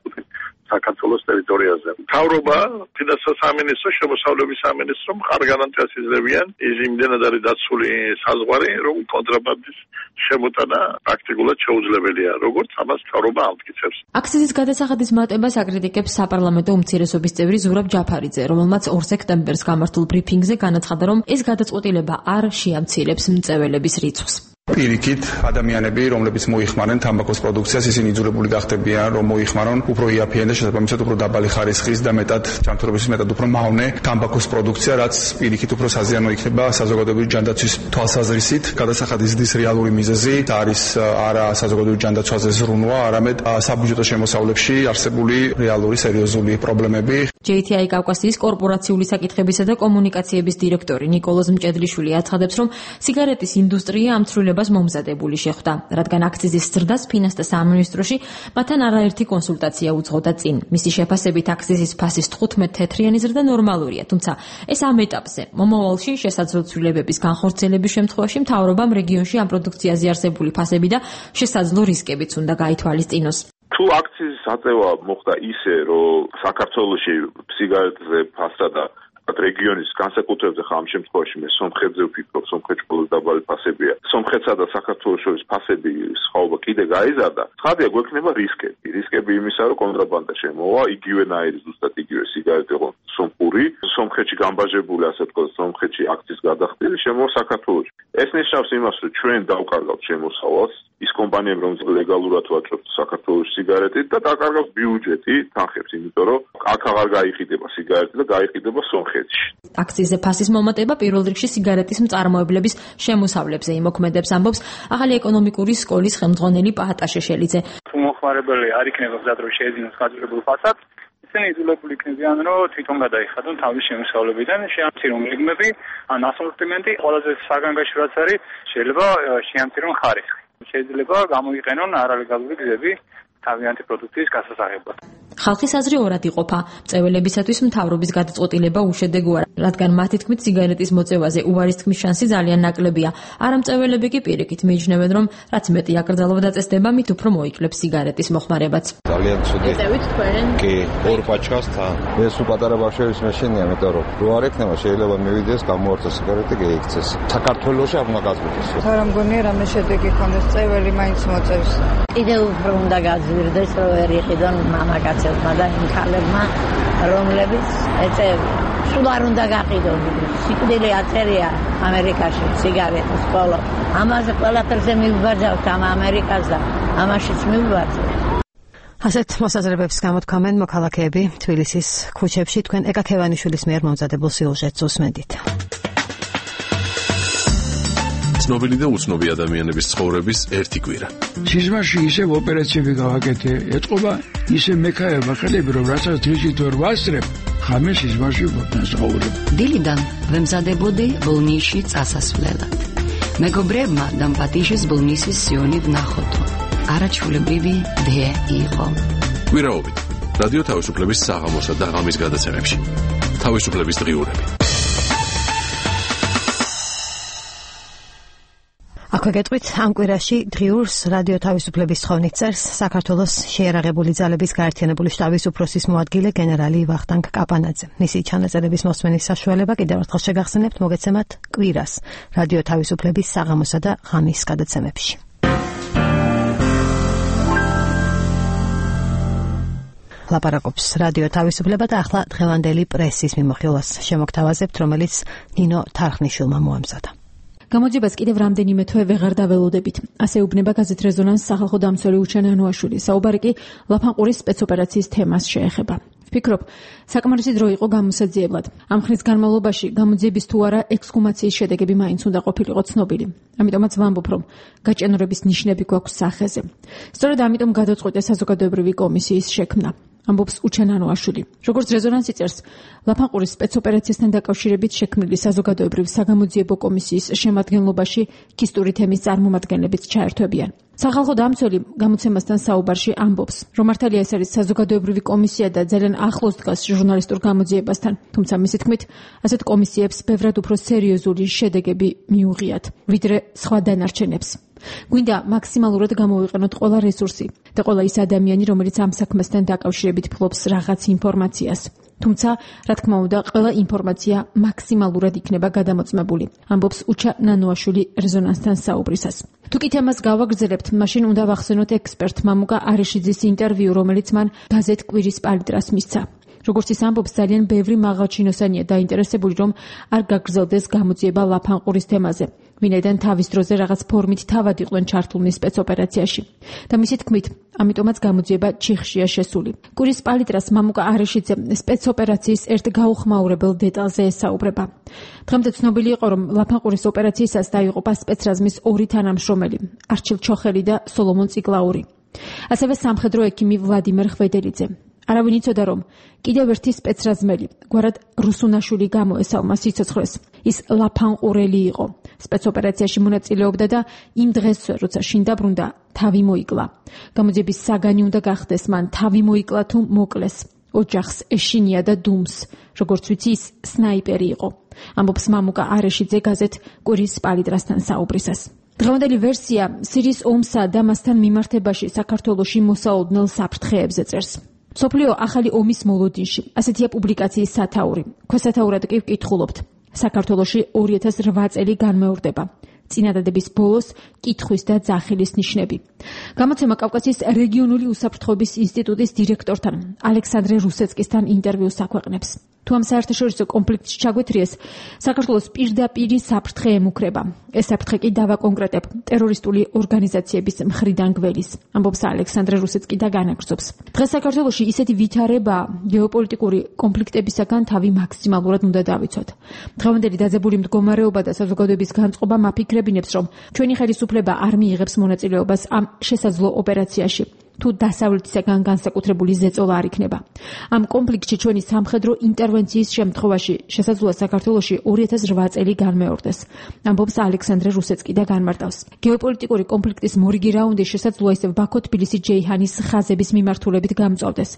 საქართველოს ტერიტორიაზე. მთავრობა, ფინანსთა სამინისტრო, შემოსავლების სამინისტრო მხარ გარანტიას იძლევიან ის იმდენად არის დაცული საზღვარი, რომ კონტრაბანდის შემოტანა პრაქტიკულად შეუძლებელია, როგორც ამას მთავრობა ამტკიცებს. აქციზის გადასახადის მატებას აკრიტიკებს საპარლამენტო უმცირესობის წევრი ზურაბ ჯაფარიძე, რომელმაც ორ სექტემბერს გამართულ ბრიფინგზე განაცხადა, რომ ეს გადაწყვეტილება არ შეამცირებს მწვერვალების რიცხვს. პირიქით ადამიანები, რომლებიც მოიხმარენ თამბაქოს პროდუქციას, ისინი იძულებული გახდებიან, რომ მოიხმარონ უფრო იაფიან და შესაბამისად უფრო დაბალი ხარისხის და მეტად ჯანმრთელობის მეტად უფრო მავნე თამბაქოს პროდუქცია, რაც პირიქით უფრო საზიანო იქნება საზოგადოებრივი ჯანდაცვის თვალსაზრისით. გადასახადის ზრდის რეალური მიზეზი არის არა საზოგადოებრივი ჯანდაცვაზე ზრუნვა, არამედ საბუჯეტო შემოსავლებში არსებული რეალური სერიოზული პრობლემები. ჯეი თი აი კავკასიის კორპორაციული საკითხებისა და კომუნიკაციების დირექტორი ნიკოლოზ მჭედლიშვილი აცხადებს, რომ სიგარეტის ინდუსტრია ამ ცვლილებას მომზადებული შეხვდა, რადგან აქციზის ზრდას ფინანსთა სამინისტროში მათთან არაერთი კონსულტაცია უძღოდა წინ. მისი შეფასებით აქციზის ფასის თხუთმეტ თეთრიანი ზრდა ნორმალურია, თუმცა ეს ამ ეტაპზე. მომავალში შესაძლო ცვლილებების განხორციელების შემთხვევაში მთავრობამ რეგიონში ამ პროდუქციაზე არსებული ფასები და შესაძლო რისკებიც უნდა გაითვალისწინოს. თუ აქციზის აწევა მოხდა ისე, რომ საქართველოში სიგარეტზე ფასსა და რეგიონის განსაკუთრებით ხა ამ შემთხვევაში მე სომხეთზე ვფიქრობ, სომხეთში ყველაზე დაბალი ფასებია. სომხეთსა და საქართველოს შორის ფასები სხვაობა კიდე გაიზარდა. ცხადია, გვექნება რისკები. რისკები იმისა, რომ კონტრაბანდა შემოვა, იგივენაირი ზუსტად იგივე სიგარეტი იყო სომხური, სომხეთში გამბაჟებული, ასე ვთქვათ, სომხეთში აქციის გადახდილი შემოვა საქართველოში. ეს ნიშნავს იმას, რომ ჩვენ დავკარგავთ შემოსავალს, ის კომპანიები, რომელიც ლეგალურად ვაჭრობთ საქართველოს სიგარეტით და დაკარგავს ბიუჯეტი თანხებს, იმიტომ რომ აქ აღარ გაიყიდება სიგარეტი და გაიყიდება სომხეთში. აქციზზე ფასის მომატება პირველ რიგში სიგარეტის მწარმოებლების შემოსავლებზე იმოქმედებს, ამბობს ახალი ეკონომიკური სკოლის ხელმძღვანელი პაატა შეშელიძე. თუ მოხმარებელი არ იქნება მზად, რომ შეეძინოს გაძლებულ ფასად, ისინი იძულებული იქნებიან, რომ თვითონ გადაიხადონ თავის შემოსავლებიდან, შეამცირონ რიგმები, ან ასორტიმენტი, ყველაზე საგანგაშო რაც არის, შეიძლება შეამცირონ ხარისხი. შეიძლება გამოიყენონ არალეგალური გზები თავიანთი პროდუქციის გასასაღებად. ხალხის აზრი ორად იყოფა. მწვერვალებისათვის მთავრობის გადაწყვეტილება უშედეგოა, რადგან მათი თქმით სიგარეტის მოწევაზე უარის თქმის შანსი ძალიან ნაკლებია. არა მწვერვალები კი პირიქით მიიჩნევენ, რომ რაც მეტი აკრძალვა დაწესდება, მით უფრო მოიკლებს სიგარეტის მოხმარებაც. ძალიან ცუდი. ეწევით თქვენ? კი, ორ პაჩკასთან. ეს უპატარა ბავშვების მეშინია, მეტყვი რომ რო არ ექნება, შეიძლება მივიდეს, გამოვართა სიგარეტი გაიქცეს. საქართველოში არ უნდა გაზრდოს. რა მგონია რამე შედეგი ქონდეს, წეველი მაინც მოწევს. კიდევ უფრო უნდა გაძვირდეს, რომ ვერ იყიდონ მამაკაცებმა და იმ ქალებმა, რომლებიც ეწევიან. სულ არ უნდა გაყიდონ. სიკვდილი აწერია ამერიკაში სიგარეტის ყოლო. ამაზე ყველაფერზე მივიბაძავთ ამ ამერიკას და ამაშიც მივიბაძავთ. ასეთ მოსაზრებებს გამოთქვამენ მოქალაქეები თბილისის ქუჩებში. თქვენ ეკა ქევანიშვილის მიერ მომზადებულ სიუჟეტს უსმენთ. ცნობილი და უცნობი ადამიანების ცხოვრების ერთი კვირა. სიზმარში ისევ ოპერაციები გავაკეთე, ეთყობა ისე მექაება ხელები, რომ რასაც დღისით ვერ ვასწრებ, ხამე სიზმარში ვფასაურებ. დილიდან ვემზადებოდი ბოლნისში წასასვლელად. მეგობრებმა დამპატიჟეს ბოლნისის სიონი ვნახოთო. არაჩვეულებრივი დე იყო. კვირაობით რადიო თავისუფლების საღამოსა და ღამის გადაცემებში. თავისუფლების დღიურები. აქვე გეტყვით, ამ კვირაში დღიურს რადიო თავისუფლების თხოვნით წერს საქართველოს შეიარაღებული ძალების გაერთიანებული შტაბის უფროსის მოადგილე გენერალი ვახტანგ კაპანაძე. მისი ჩანაწერების მოსმენის საშუალება კიდევ ერთხელ შეგახსენებთ, მოგეცემათ კვირას რადიო თავისუფლების საღამოსა და ღამის გადაცემებში. ლაპარაკობს რადიო თავისუფლება და ახლა დღევანდელი პრესის მიმოხილვას შემოგთავაზებთ, რომელიც ნინო თარხნიშვილმა მოამზადა. გამოძიებას კიდევ რამდენიმე თვე ვეღარ დაველოდებით. ასე უბნება გაზეთ რეზონანს სახალხო დამცველი უჩენ ანუაშვილი. საუბარი კი ლაფანყურის სპეცოპერაციის თემას შეეხება. ვფიქრობ, საკმარისი დრო იყო გამოსაძიებლად. ამ ხნის განმავლობაში გამოძიების თუ არა ექსჰუმაციის შედეგები მაინც უნდა ყოფილიყო ცნობილი. ამიტომაც ვამბობ, რომ გაჭიანურების ნიშნები გვაქვს სახეზე. სწორედ ამიტომ გადაწყვიტე საზოგადოებრივი კომისიის შექმნა. ამბობს უჩენ ანუაშვილი. როგორც რეზონანსი წერს, ლაფანყურის სპეცოპერაციასთან დაკავშირებით შექმნილი საზოგადოებრივი საგამოძიებო კომისიის შემადგენლობაში ქისტური თემის წარმომადგენლებიც ჩაერთვებიან. სახალხო დამცველი გამოცემასთან საუბარში ამბობს, რომ მართალია ეს არის საზოგადოებრივი კომისია და ძალიან ახლოს დგას ჟურნალისტურ გამოძიებასთან, თუმცა მისი თქმით, ასეთ კომისიებს ბევრად უფრო სერიოზული შედეგები მიუღიათ, ვიდრე სხვა დანარჩენებს. გვინდა მაქსიმალურად გამოვიყენოთ ყველა რესურსი და ყველა ის ადამიანი, რომელიც ამ საქმესთან დაკავშირებით ფლობს რაღაც ინფორმაციას. თუმცა, რა თქმა უნდა, ყველა ინფორმაცია მაქსიმალურად იქნება გადამოწმებული. ამბობს უჩა ნანოაშვილი რეზონანსთან საუბრისას. თუ კი თემას გავაგრძელებთ, მაშინ უნდა ვახსენოთ ექსპერტ მამუკა არიშიძის ინტერვიუ, რომელიც მან გაზეთ კვირის პალიტრას მისცა. როგორც ის ამბობს, ძალიან ბევრი მაღალჩინოსანია დაინტერესებული, რომ არ გაგრძელდეს გამოძიება ლაფანყურის თემაზე, ვინაიდან თავის დროზე რაღაც ფორმით თავად იყვნენ ჩართულნი სპეცოპერაციაში. და მისი თქმით, ამიტომაც გამოძიება ჩიხშია შესული. კვირის პალიტრას მამუკა არიშიძე სპეცოპერაციის ერთ გაუხმაურებელ დეტალზე ესაუბრება. დღემდე ცნობილი იყო, რომ ლაფანყურის ოპერაციისას დაიღუპა სპეცრაზმის ორი თანამშრომელი, არჩილ ჩოხელი და სოლომონ ციკლაური. ასევე სამხედრო ექიმი ვლადიმერ ხვედელიძე. არავინ იცოდა, რომ კიდევ ერთი სპეცრაზმელი, გვარად რუსუნაშვილი გამოესალმა სიცოცხლეს. ის ლაფანყურელი იყო. სპეცოპერაციაში მონაწილეობდა და იმ დღესვე, როცა შინ დაბრუნდა, თავი მოიკლა. გამოძიების საგანი უნდა გახდეს, მან თავი მოიკლა თუ მოკლეს. ოჯახს ეშინია და დუმს, როგორც ვიცი, ის სნაიპერი იყო. ამბობს მამუკა არიშიძე გაზეთ კვირის პალიტრასთან საუბრისას. დღევანდელი ვერსია სირიის ომსა და მასთან მიმართებაში საქართველოში მოსაოდნელ საფრთხეებზე წერს. სოფლიო ახალი ომის მოლოდინში, ასეთია პუბლიკაციის სათაური. ქვესათაურად კი ვკითხულობთ. საქართველოში ორი ათას რვა წელი განმეორდება. წინადადების ბოლოს კითხვის და ძახილის ნიშნები. გამოცემა კავკასიის რეგიონული უსაფრთხოების ინსტიტუტის დირექტორთან, ალექსანდრე რუსეცკისთან ინტერვიუს აქვეყნებს. თუ ამ საერთაშორისო კონფლიქტში ჩაგვეთრიეს, საქართველოს პირდაპირი საფრთხე ემუქრება. ეს საფრთხე კი დავაკონკრეტებ ტერორისტული ორგანიზაციების მხრიდან გველის, ამბობს ალექსანდრე რუსეცკი და განაგრძობს. დღეს საქართველოში ისეთი ვითარება გეოპოლიტიკური კონფლიქტებისაგან თავი მაქსიმალურად უნდა დავიცვათ. დღევანდელი დაძაბული მდგომარეობა და საზოგადოების განწყობა მაფიქრებინებს, რომ ჩვენი ხელისუფლება არ მიიღებს მონაწილეობას ამ შესაძლო ოპერაციაში. თუ დასავლეთისაგან განსაკუთრებული ზეწოლა არ იქნება. ამ კონფლიქტში ჩვენი სამხედრო ინტერვენციის შემთხვევაში შესაძლოა საქართველოში ორი ათას რვა წელი განმეორდეს, ამბობს ალექსანდრე რუსეცკი და განმარტავს. გეოპოლიტიკური კონფლიქტის მორიგი რაუნდი შესაძლოა ისევ ბაქო-თბილისი-ჯეიჰანის ხაზების მიმართულებით გამწვავდეს.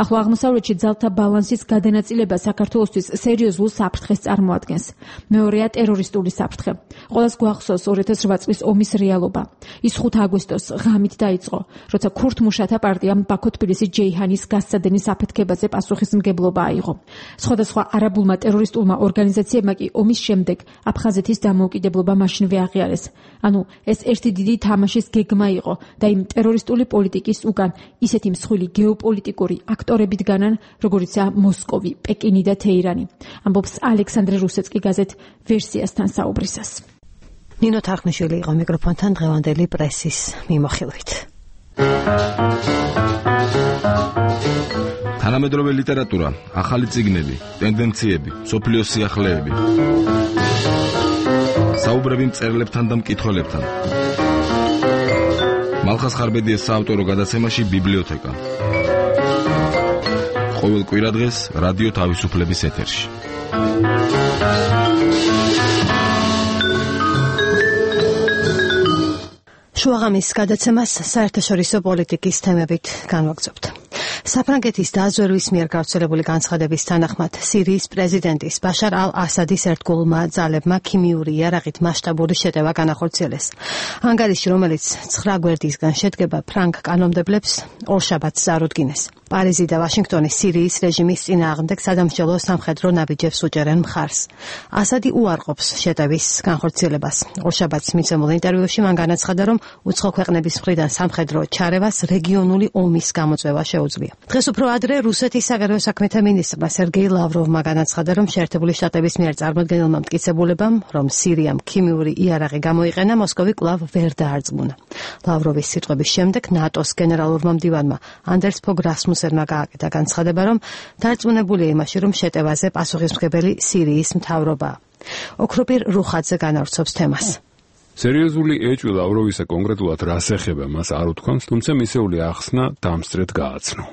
ახლო აღმოსავლეთში ძალთა ბალანსის გადანაწილება საქართველოსთვის სერიოზულ საფრთხეს წარმოადგენს. მეორეა ტერორისტული საფრთხე. ყველას გვახსოვს ორი ათას რვა წლის ომის რეალობა. ის ხუთ აგვისტოს ღამით დაიწყო, როცა ქურთ მუშათა პარტიამ ბაქო-თბილისი-ჯეიჰანის გასცადენის აფეთქებაზე პასუხისმგებლობა აიღო. სხვადასხვა არაბულმა ტერორისტულმა ორგანიზაციებმა კი ომის შემდეგ აფხაზეთის დამოუკიდებლობა მაშინვე აღიარეს. ანუ ეს ერთი დიდი თამაშის გეგმა იყო და იმ ტერორისტული პოლიტიკის უკან ისეთი მსხვილი გეოპოლიტიკური აქტორები დგანან, როგორიცაა მოსკოვი, პეკინი და თეირანი. ამბობს ალექსანდრე რუსეცკი გაზეთ ვერსიასთან საუბრისას. ნინო თარხნიშვილი იყო მიკროფონთან დღევანდელი პრესის მიმოხილვით. თანამედროვე ლიტერატურა, ახალი წიგნები, ტენდენციები, სოფლიოს სიახლეები. საუბრები მწერლებთან და მკითხველებთან. მალხას ხარბედიეს საავტორო გადაცემაში ბიბლიოთეკა. ყოველ კვირადღეს რადიო თავისუფლების ეთერში. შუაღამის გადაცემას საერთაშორისო პოლიტიკის თემებით განვაგრძობთ. საფრანგეთის დაზვერვის მიერ გავრცელებული განცხადების თანახმად სირიის პრეზიდენტის ბაშარ ალ-ასადის ერთგულმა ძალებმა ქიმიური იარაღით მასშტაბური შეტევა განახორციელეს. ანგარიში, რომელიც ცხრა გვერდისგან შედგება, ფრანგ კანონმდებლებს ორშაბათს წარუდგინეს. პარიზი და ვაშინგტონი სირიის რეჟიმის წინააღმდეგ სადამსჯელო სამხედრო ნაბიჯებს უჭერენ მხარს. ასადი უარყოფს შეტევის განხორციელებას. ორშაბათს მიცემულ ინტერვიუში მან განაცხადა, რომ უცხო ქვეყნების მხრიდან სამხედრო ჩარევას რეგიონული ომის გამოწვევა შეუძლია. დღეს უფრო ადრე რუსეთის საგარეო საქმეთა მინისტრმა სერგეი ლავროვმა განაცხადა, რომ შეერთებული შტატების მიერ წარმოდგენილმა მტკიცებულებამ, რომ სირიამ ქიმიური იარაღი გამოიყენა, მოსკოვი კვლავ ვერ დაარწმუნა. ლავროვის სიტყვების შემდეგ ნატოს გენერალურმა მდივანმა ანდერს ფოგ რასმუსენმა გააკეთა განცხადება, რომ დარწმუნებულია იმაში, რომ შეტევაზე პასუხისმგებელი სირიის მთავრობაა. ოქროპირ რუხაძე განავრცობს თემას. სერიოზული ეჭვი ლავროვისა კონკრეტულად რას ეხება მას არ უთქვამს, თუმცა მისეული ახსნა დამსწრედ გააცნო.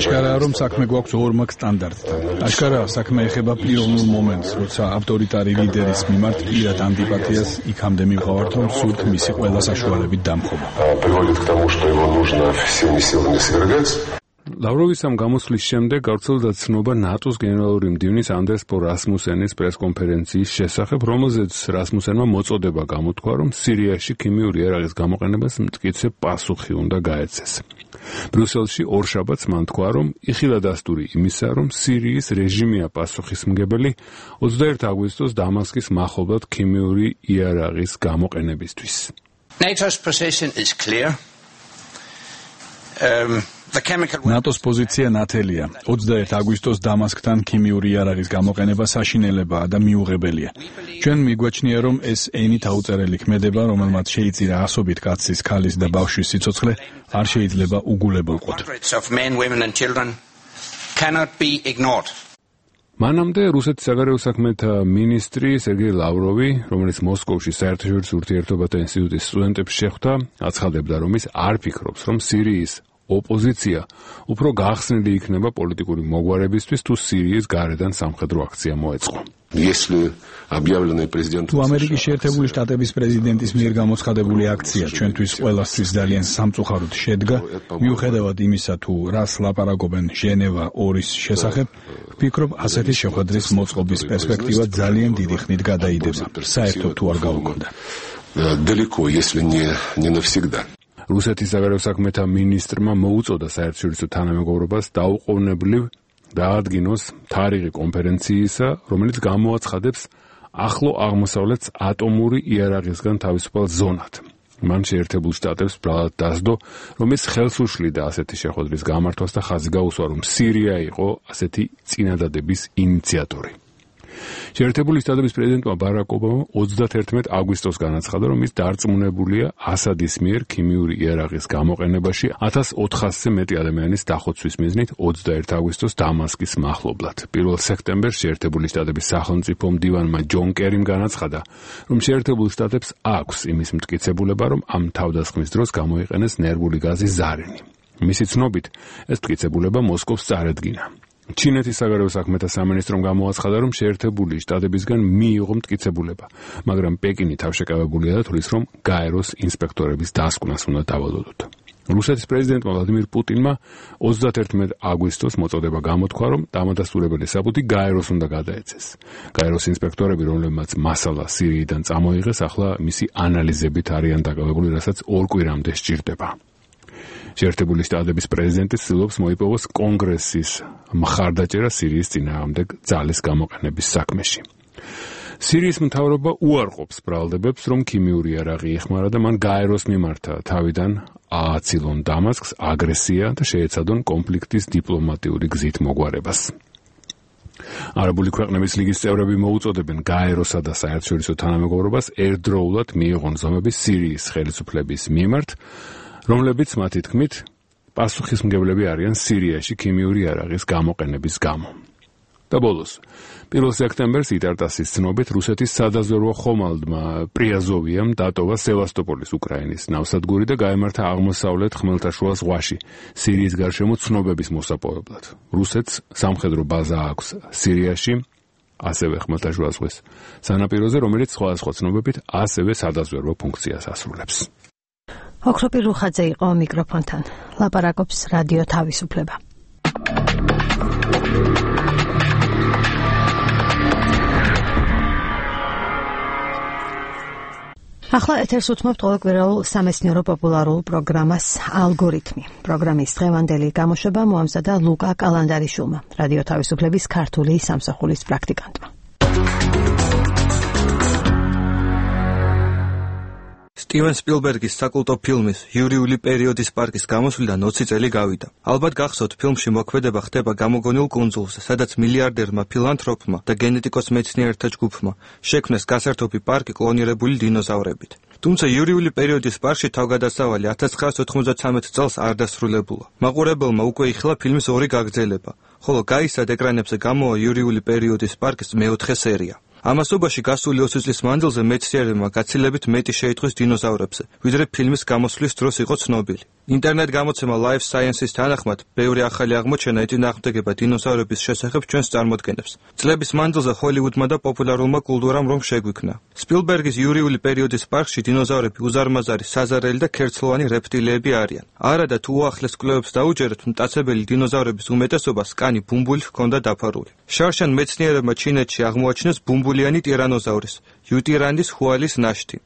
აშკარაა, რომ საქმე გვაქვს ორმაგ სტანდარტთან. აშკარაა, საქმე ეხება პიროვნულ მომენტს, როცა ავტორიტარი ლიდერის მიმართ პირად ანტიპათიას იქამდე მივყავართ, რომ სურთ მისი ყველა საშუალებით დამხობა. ლავროვის ამ გამოსვლის შემდეგ გავრცელდა ცნობა ნატოს გენერალური მდივნის ანდერს ფო რასმუსენის პრესკონფერენციის შესახებ, რომელზეც რასმუსენმა მოწოდება გამოთქვა, რომ სირიაში ქიმიური იარაღის გამოყენებას მტკიცე პასუხი უნდა გაეცეს. ბრიუსელში ორშაბათს მან თქვა, რომ იხილა დასტური იმისა, რომ სირიის რეჟიმია პასუხისმგებელი ოცდაერთი აგვისტოს დამასკის მახლობლად ქიმიური იარაღის გამოყენებისთვის. NATO's position is clear. Um ნატოს პოზიცია ნათელია. ოცდაერთი აგვისტოს დამასკთან ქიმიური იარაღის გამოყენება საშინელებაა და მიუღებელია. ჩვენ მიგვაჩნია, რომ ეს ენით აუწერელი ქმედება, რომელმაც შეიწირა ასობით კაცის, ქალის და ბავშვის სიცოცხლე, არ შეიძლება უგულებელყოთ. მანამდე რუსეთის საგარეო საქმეთა მინისტრი სერგეი ლავროვი, რომელიც მოსკოვში საერთაშორისო ურთიერთობათა ინსტიტუტის სტუდენტებს შეხვდა, აცხადებდა, რომ ის არ ფიქრობს, რომ სირიის ოპოზიცია უფრო გახსნილი იქნება პოლიტიკური მოგვარებისთვის, თუ სირიის გარედან სამხედრო აქცია მოეწყო. თუ ამერიკის შეერთებული შტატების პრეზიდენტის მიერ გამოცხადებული აქცია ჩვენთვის ყველასთვის ძალიან სამწუხაროდ შედგა, მიუხედავად იმისა, თუ რას ლაპარაკობენ ჟენევა ორის შესახებ, ვფიქრობ, ასეთი შეხვედრის მოწყობის პერსპექტივა ძალიან დიდი ხნით გადაიდება, საერთოდ თუ არ გაუქმდა. რუსეთის საგარეო საქმეთა მინისტრმა მოუწოდა საერთაშორისო თანამეგობრობას დაუყოვნებლივ დაადგინოს თარიღი კონფერენციისა, რომელიც გამოაცხადებს ახლო აღმოსავლეთს ატომური იარაღისგან თავისუფალ ზონად. მან შეერთებულ შტატებს ბრალად დასდო, რომ ის ხელს უშლიდა ასეთი შეხვედრის გამართვას და ხაზი გაუსვა, რომ სირია იყო ასეთი წინადადების ინიციატორი. შეერთებული შტატების პრეზიდენტმა ბარაკ ობამამ ოცდაათერთმეტი აგვისტოს განაცხადა, რომ ის დარწმუნებულია ასადის მიერ ქიმიური იარაღის გამოყენებაში ათას ოთხასზე მეტი ადამიანის დახოცვის მიზნით ოცდაერთი აგვისტოს დამასკის მახლობლად. პირველ სექტემბერს შეერთებული შტატების სახელმწიფო მდივანმა ჯონ კერიმ განაცხადა, რომ შეერთებულ შტატებს აქვს იმის მტკიცებულება, რომ ამ თავდასხმის დროს გამოიყენეს ნერვული გაზი ზარენი. მისი ცნობით, ეს მტკიცებულება მოსკოვს წარედგინა. ჩინეთის საგარეო საქმეთა სამინისტრომ გამოაცხადა, რომ შეერთებული შტატებისგან მიიღო მტკიცებულება, მაგრამ პეკინი თავშეკავებულია და თვლის, რომ გაეროს ინსპექტორების დასკვნას უნდა დავალოდოთ. რუსეთის პრეზიდენტმა ვლადიმირ პუტინმა ოცდაათერთმეტი აგვისტოს მოწოდება გამოთქვა, რომ დამადასტურებელი საბუთი გაეროს უნდა გადაეცეს. გაეროს ინსპექტორები, რომლებმაც მასალა სირიიდან წამოიღეს, ახლა მისი ანალიზებით არიან დაკავებული, რასაც ორ კვირამდე სჭირდება. შეერთებული შტატების პრეზიდენტი ცდილობს მოიპოვოს კონგრესის მხარდაჭერა სირიის წინააღმდეგ ძალის გამოყენების საქმეში. სირიის მთავრობა უარყოფს ბრალდებებს, რომ ქიმიური იარაღი ეხმარა და მან გაეროს მიმართა თავიდან ააცილონ დამასკს აგრესია და შეეცადონ კონფლიქტის დიპლომატიური გზით მოგვარებას. არაბული ქვეყნების ლიგის წევრები მოუწოდებენ გაეროსა და საერთაშორისო თანამეგობრობას ერთდროულად მიიღონ ზომები სირიის ხელისუფლების მიმართ, რომლებიც მათი თქმით პასუხისმგებლები არიან სირიაში ქიმიური იარაღის გამოყენების გამო. და ბოლოს, პირველ სექტემბერს იტარტასის ცნობით რუსეთის სადაზვერვო ხომალდმა პრიაზოვიამ დატოვა სევასტოპოლის უკრაინის ნავსადგური და გაემართა აღმოსავლეთ ხმელთაშუა ზღვაში სირიის გარშემო ცნობების მოსაპოვებლად. რუსეთს სამხედრო ბაზა აქვს სირიაში, ასევე ხმელთაშუა ზღვის სანაპიროზე, რომელიც სხვადასხვა ცნობებით ასევე სადაზვერვო ფუნქციას ასრულებს. ოქროპი რუხაძე იყო მიკროფონთან. ლაპარაკობს რადიო თავისუფლება. ახლა ეთერს უთმობთ ყოველკვირეულ სამეცნიერო პოპულარულ პროგრამას ალგორითმი. პროგრამის დღევანდელი გამოშვება მოამზადა ლუკა კალანდარიშვილმა, რადიო თავისუფლების ქართული სამსახურის პრაქტიკანტმა. სტივენ სპილბერგის საკულტო ფილმის იურიული პერიოდის პარკის გამოსვლიდან ოცი წელი გავიდა. ალბათ გახსოვთ, ფილმში მოქმედება ხდება გამოგონილ კუნძულზე, სადაც მილიარდერმა ფილანთროპმა და გენეტიკოს მეცნიერთა ჯგუფმა შექმნეს გასართობი პარკი კლონირებული დინოზავრებით. თუმცა იურიული პერიოდის პარკში თავგადასავალი ათას ცხრაას ოთხმოცდათრამეტ წელს არ დასრულებულა. მაყურებელმა უკვე იხილა ფილმის ორი გაგრძელება, ხოლო გაისად ეკრანებზე გამოვა იურიული პერიოდის პარკის მეოთხე სერია. ამასობაში გასული ოცი წლის მანძილზე მეცნიერებმა გაცილებით მეტი შეიტყვის დინოზავრებზე, ვიდრე ფილმის გამოსვლის დროს იყო ცნობილი. ინტერნეტ გამოცემა Life Sciences თანახმად, ბევრი ახალი აღმოჩენა ეწინააღმდეგება დინოზავრების შესახებ ჩვენს წარმოდგენებს. წლების მანძილზე ჰოლივუდმა და პოპულარულმა კულტურამ რომ შეგვიქმნა. სპილბერგის იურიული პერიოდის პარკში დინოზავრები უზარმაზარი, საზარელი და ქერცლოვანი რეპტილიები არიან. არა და თუ უახლეს კვლევებს დაუჯერებთ, მტაცებელი დინოზავრების უმეტესობას კანი ბუმბულით ჰქონდა დაფარული. შარშან მეცნიერებმა ჩინეთში აღმოაჩინეს ბუმბულიანი ტირანოზავრის, იუტირანდის ჰუალის ნაშთი.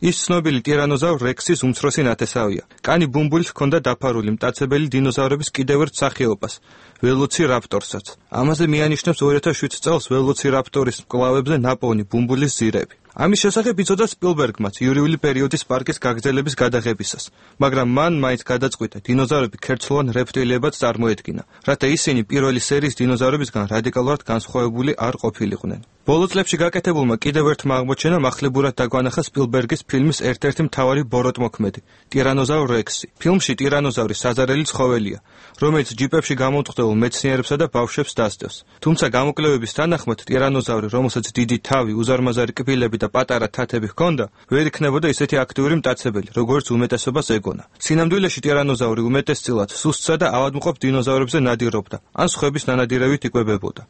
ის ცნობილი ტირანოზავრ რექსის უმცროსი ნათესავია. კანი ბუმბულით ჰქონდა დაფარული მტაცებელი დინოზავრების კიდევ ერთ სახეობას, ველოცირაპტორსაც. ამაზე მიანიშნებს ორი ათას შვიდ წელს ველოცირაპტორის მკლავებზე ნაპოვნი ბუმბულის ზირები. ამის შესახებ იცოდა სპილბერგმაც იურიული პერიოდის პარკის გაგრძელების გადაღებისას, მაგრამ მან მაინც გადაწყვიტა დინოზავრები ქერცლოვან რეპტილიებად წარმოედგინა, რათა ისინი პირველი სერიის დინოზავრებისგან რადიკალურად განსხვავებული არ ყოფილიყვნენ. ბოლო წლებში გაკეთებულმა კიდევ ერთმა აღმოჩენამ ახლებურად დაგვანახა სპილბერგის ფილმის ერთ-ერთი მთავარი ბოროტმოქმედი, ტირანოზავრ რექსი. ფილმში ტირანოზავრი საზარელი ცხოველია, რომელიც ჯიპებში გამომტყდებულ მეცნიერებსა და ბავშვებს დასდევს. თუმცა გამოკვლევების თანახმად ტირანოზავრი, რომელსაც დიდი თავი, უზარმაზარი კბილები და პატარა თათები ჰქონდა, ვერ იქნებოდა ისეთი აქტიური მტაცებელი, როგორც უმეტესობას ეგონა. სინამდვილეში ტირანოზავრი უმეტესწილად სუსტსა და ავადმყოფ დინოზავრებზე ნადირობდა, ან სხვების ნანადირევით იკვებებოდა.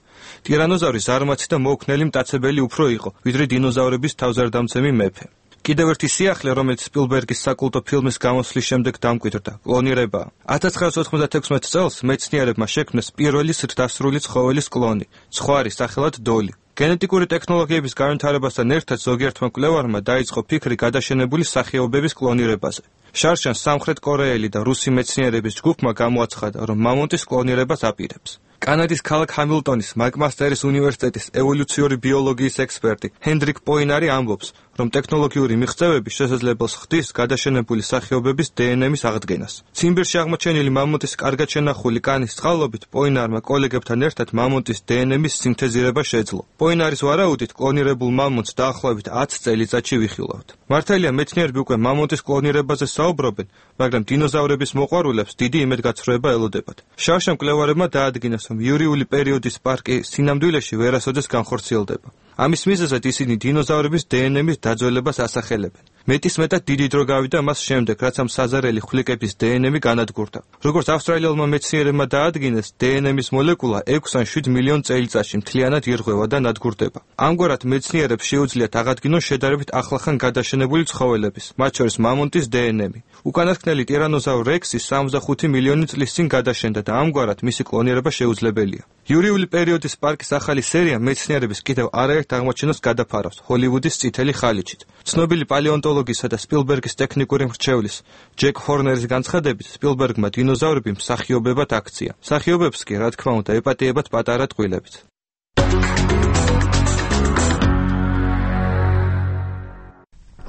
ტირანოზავრი ზარმაცი და მოუქნელი მტაცებელი უფრო იყო, ვიდრე დინოზავრების თავზარდამცემი მეფე. კიდევ ერთი სიახლე, რომელიც სპილბერგის საკულტო ფილმის გამოსვლის შემდეგ დამკვიდრდა, კლონირებაა. ათას ცხრაასი ოცდაათი წელს მეცნიერებმა შექმნეს პირველი სრდასრული ცხოველის კლონი, ცხვარი სახელად დოლი. გენეტიკური ტექნოლოგიების განვითარებასთან ერთად ზოგიერთმა მკვლევარმა დაიწყო ფიქრი გადაშენებული სახეობების კლონირებაზე. შარშან სამხრეთ კორეელი და რუსი მეცნიერების ჯგუფმა გამოაცხადა, რომ მამონტის კლონირებას აპირებს. კანადის ქალაქ ჰამილტონის მაკმასტერის უნივერსიტეტის ევოლუციური ბიოლოგიის ექსპერტი ჰენდრიკ პოინარი ამბობს, რომ ტექნოლოგიური მიღწევები შესაძლებელს ხდის გადაშენებული სახეობების დნმ-ის აღდგენას. ციმბირში აღმოჩენილი მამონტის კარგად შენახული კანის წყალობით პოინარმა კოლეგებთან ერთად მამონტის დნმ-ის სინთეზირება შეძლო. პოინარის ვარაუდით კლონირებულ მამონტს დაახლოებით ათი წელიწადში ვიხილავთ. მართალია მეცნიერები უკვე მამონტის კლონირებაზე საუბრობენ, მაგრამ დინოზავრების მოყვარულებს დიდი იმედგაცრუება ელოდებათ. შარშან მკვლევარებმა დაადგინეს, რომ იურიული პერიოდის პარკი სინამდვილეში ვერასოდეს განხორციელდება. ამის მიზეზად ისინი დინოზავრების დნმ-ის დაძველებას ასახელებენ. მეტისმეტად დიდი დრო გავიდა მას შემდეგ, რაც ამ საზარელი ხვლიკების დნმ განადგურდა. როგორც ავსტრალიელმა მეცნიერებმა დაადგინეს, დნმ-ის მოლეკულა ექვს ან შვიდ მილიონ წელიწადში მთლიანად ირღვევა და ნადგურდება. ამგვარად მეცნიერებს შეუძლიათ აღადგინონ შედარებით ახლახან გადაშენებული ცხოველების, მათ შორის მამონტის დნმ. უკანასკნელი ტირანოზავრ რექსი სამოცდახუთი მილიონი წლის წინ გადაშენდა და ამგვარად მისი კლონირება შეუძლებელია. იურიული პერიოდის პარკის ახალი სერია მეცნიერების კიდევ არაერთ აღმოჩენას გადაფარავს ჰოლივუდის წითელი ხალიჩით. ცნობილი პალეონტოლოგისა და სპილბერგის ტექნიკური მრჩევლის ჯეკ ჰორნერის განცხადებით, სპილბერგმა დინოზავრები მსახიობებად აქცია. მსახიობებს კი, რა თქმა უნდა, ეპატიებათ პატარა ტყუილებით.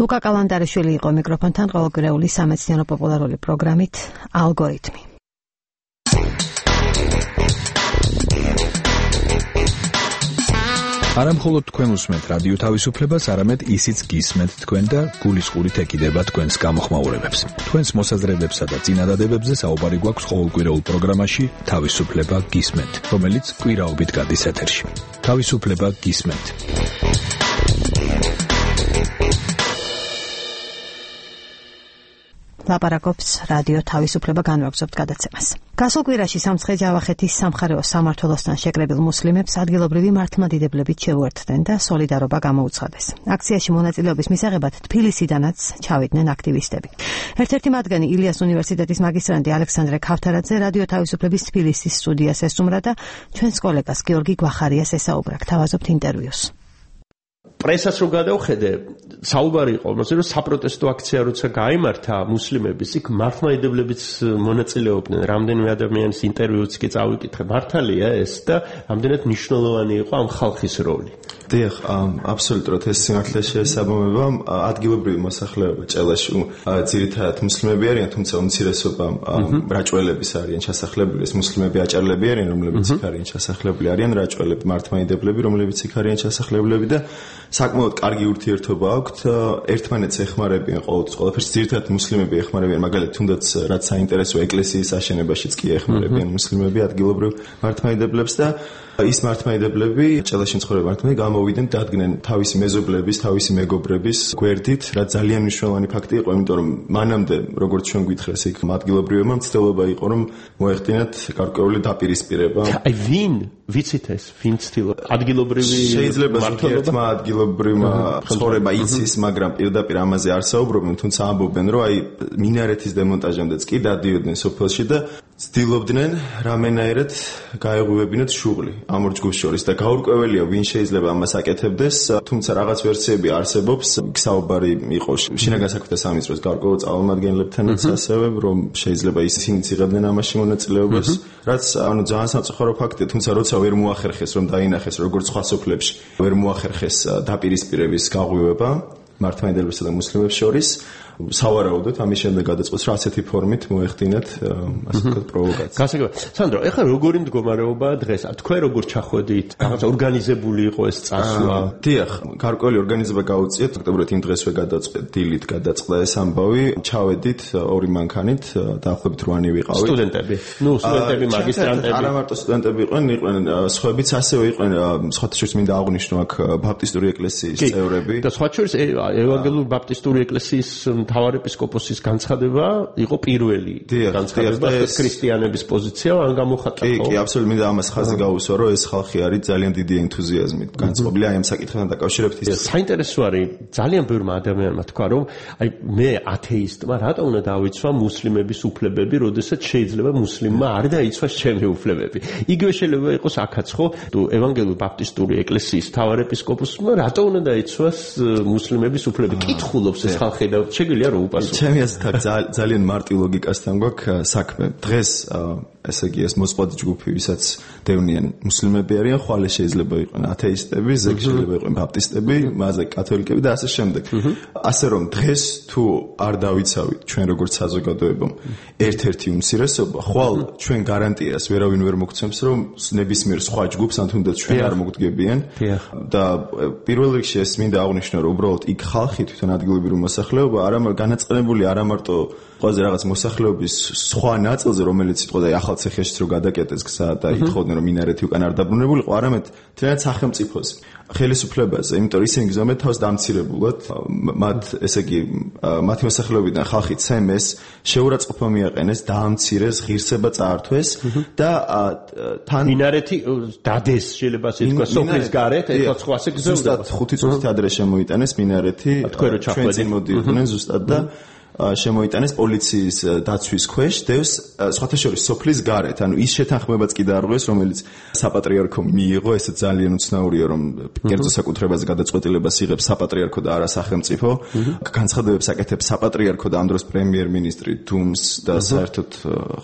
ლუკა კალანდარიშვილი იყო მიკროფონთან ყოველკვირეული სამეცნიერო პოპულარული პროგრამით ალგორითმი. არა მხოლოდ თქვენ უსმენთ რადიო თავისუფლებას, არამედ ისიც გისმენთ თქვენ და გულისყურით ეკიდება თქვენს გამოხმაურებებს. თქვენს მოსაზრებებსა და წინადადებებზე საუბარი გვაქვს ყოველკვირეულ პროგრამაში თავისუფლება გისმენთ, რომელიც კვირაობით გადის ეთერში. თავისუფლება გისმენთ. ლაპარაკობს რადიო თავისუფლება განვაგრძობთ გადაცემას. გასულ კვირაში სამცხე ჯავახეთის სამხარეო სამმართველოსთან შეკრებილ მუსლიმებს ადგილობრივი მართლმადიდებლებით შეუერთდნენ და სოლიდარობა გამოუცხადეს. აქციაში მონაწილეობის მისაღებად თბილისიდანაც ჩავიდნენ აქტივისტები. ერთ-ერთი მათგანი ილიას უნივერსიტეტის მაგისტრანტი ალექსანდრე ქავთარაძე რადიო თავისუფლების თბილისის სტუდიას ესტუმრა და ჩვენს კოლეგას გიორგი გვახარიას ესაუბრა. გთავაზობთ ინტერვიუს. პრესაც რო გადავხედე, საუბარი იყო იმაზე, რომ საპროტესტო აქცია როცა გაიმართა მუსლიმების, იქ მართლმადიდებლებიც მონაწილეობდნენ. რამდენიმე ადამიანის ინტერვიუც კი წავიკითხე. მართალია ეს და რამდენად მნიშვნელოვანი იყო ამ ხალხის როლი. დიახ, აბსოლუტურად ეს სიმართლე შეესაბამება. ადგილობრივი მოსახლეობა ჭელაში ძირითადად მუსლიმები არიან, თუმცა უმცირესობა რაჭველების არიან ჩასახლებული. ეს მუსლიმები აჭარლები არიან, რომლებიც იქ არიან ჩასახლებული, არიან რაჭველები, მართლმადიდებლები, რომლებიც იქ არიან ჩასახლებლები და საკმაოდ კარგი ურთიერთობა აქვთ. ერთმანეთს ეხმარებიან ყოველთვის, ყველაფერს ძირითადად მუსლიმები ეხმარებიან, მაგალითად თუნდაც რაც საინტერესოა ეკლესიის აშენებაშიც კი ეხმარებიან მუსლიმები ადგილობრივ მართლმადიდებლებს და ის მართლმადიდებლები, ჭელაში მცხოვრები მართლმადიდებლები გამოვიდნენ, დადგნენ თავისი მეზობლების, თავისი მეგობრების გვერდით, რაც ძალიან მნიშვნელოვანი ფაქტი იყო, იმიტომ რომ მანამდე, როგორც ჩვენ გითხრეს, იქ ადგილობრივებმა მცდელობა იყო, რომ მოეხდინათ გარკვეული დაპირისპირება. აი ვინ ვიცით ეს, ვინ ცდილობს ადგილობრივი შეიძლება ერთმა ადგილობრივმა ცხოვრება იცის, მაგრამ პირდაპირ ამაზე არ საუბრობენ, თუმცა ამბობენ, რომ აი მინარეთის დემონტაჟამდეც კი დადიოდნენ სოფელში და ცდილობდნენ რამენაირად გაეღვივებინათ შუღლი ამ ორ ჯგუფს შორის და გაურკვეველია ვინ შეიძლება ამას აკეთებდეს, თუმცა რაღაც ვერსიები არსებობს, საუბარი იყო შინაგან საქმეთა სამინისტროს გარკვეულ წარმომადგენლებთანაც ასევე, რომ შეიძლება ისინი იღებდნენ ამაში მონაწილეობას, რაც ანუ ძალიან სამწუხარო ფაქტია, თუმცა როცა ვერ მოახერხეს რომ დაინახეს როგორც სხვა სოფლებში, ვერ მოახერხეს დაპირისპირების გაღვივება მართლმადიდებლებსა და მუსლიმებს შორის. სავარაუდოდ ამის შემდეგ გადაწყვეტს რომ ასეთი ფორმით მოეხდინათ ასე ვთქვათ პროვოკაცია. გასაგებია. სანდრო, ეხლა როგორი მდგომარეობაა დღეს? თქვენ როგორ ჩახვედით? რაღაც ორგანიზებული იყო ეს წასვლა? დიახ, გარკვეული ორგანიზება გაუწიეთ, ფაქტობრივად იმ დღესვე გადაწყვეტ დილით გადაწყდა ეს ამბავი. ჩავედით ორი მანქანით, დაახლოებით რვანი ვიყავით. სტუდენტები. ნუ, სტუდენტები, მაგისტრანტები. არა მარტო სტუდენტები იყვნენ, იყვნენ სხვაებიც ასევე იყვნენ, სხვათა შორის მინდა აღვნიშნო აქ ბაპტისტური ეკლესიის წევრები. და სხვათა შორის ევანგელური ბაპტისტური ეკლესიის მთავარეპისკოპოსის განცხადება იყო პირველი განცხადება ქრისტიანების პოზიცია ან გამოხატა. კი, კი, აბსოლუტურად მინდა ამას ხაზი გაუსვა, რომ ეს ხალხი არის ძალიან დიდი ენთუზიაზმით განწყობილი აი ამ საკითხთან დაკავშირებით. საინტერესო არის, ძალიან ბევრმა ადამიანმა თქვა, რომ აი მე ათეისტმა რატო უნდა დავიცვა მუსლიმების უფლებები, როდესაც შეიძლება მუსლიმმა არ დაიცვას ჩემი უფლებები. იგივე შეიძლება იყოს აქაც, ხო? თუ ევანგელური ბაპტისტური ეკლესიის მთავარეპისკოპოსმა რატო უნდა დაიცვას მუსლიმების უფლებები? კითხულობს ეს ხალხი და შეგვიძლია რომ უპასუხო. ჩემი აზრით აქ ძალიან მარტივ ლოგიკასთან გვაქვს საქმე. დღეს ესე იგი ეს მოწყობილი ჯგუფი, ვისაც დევნიან მუსლიმები არიან, ხვალე შეიძლება იყვნენ ათეისტები, ზეგი შეიძლება იყვნენ ბაპტისტები, მასე კათოლიკები და ასე შემდეგ. ასე რომ დღეს თუ არ დავიცავით ჩვენ როგორც საზოგადოება ერთ-ერთი უმცირესობა, ხვალ ჩვენ გარანტიას ვერავინ ვერ მოგცემს, რომ ნებისმიერ სხვა ჯგუფს ან თუნდაც ჩვენ არ მოგდგებიან. და პირველ რიგში ეს მინდა აღვნიშნო, რომ უბრალოდ იქ ხალხი თვითონ ადგილობრივი მოსახლეობა არა განაწყენებული არა მარტო ყველაზე რაღაც მოსახლეობის სხვა ნაწილზე, რომელიც იტყოდა ახალ ციხეშიც რო გადაკეტეს გზა და ითხოვდნენ რომ მინარეთი უკან არ დაბრუნებულიყო, არამედ თლიანად სახელმწიფოზე, ხელისუფლებაზე, იმიტომ რომ ისინი გზნობენ თავს დამცირებულად, მათ ესე იგი მათი მოსახლეობიდან ხალხი ცემეს, შეურაცხყოფა მიაყენეს, დაამცირეს, ღირსება წაართვეს და თან მინარეთი დადეს, შეიძლება ასე თქვა, სოფლის გარეთ, ეხლა სხვაზე გზავდა. ზუსტად ხუთი წუთით ადრე შემოიტანეს მინარეთი, ჩვენ წინ მოდიოდნენ ზუსტად და შემოიტანეს პოლიციის დაცვის ქვეშ დევს სხვათა შორის სოფლის გარეთ, ანუ ის შეთანხმებაც კი დაარღვეს, რომელიც საპატრიარქომ მიიღო, ეს ძალიან უცნაურია, რომ კერძო საკუთრებაზე გადაწყვეტილებას იღებს საპატრიარქო და არა სახელმწიფო. განცხადებებს აკეთებს საპატრიარქო და ამ დროს პრემიერ-მინისტრი დუმს და საერთოდ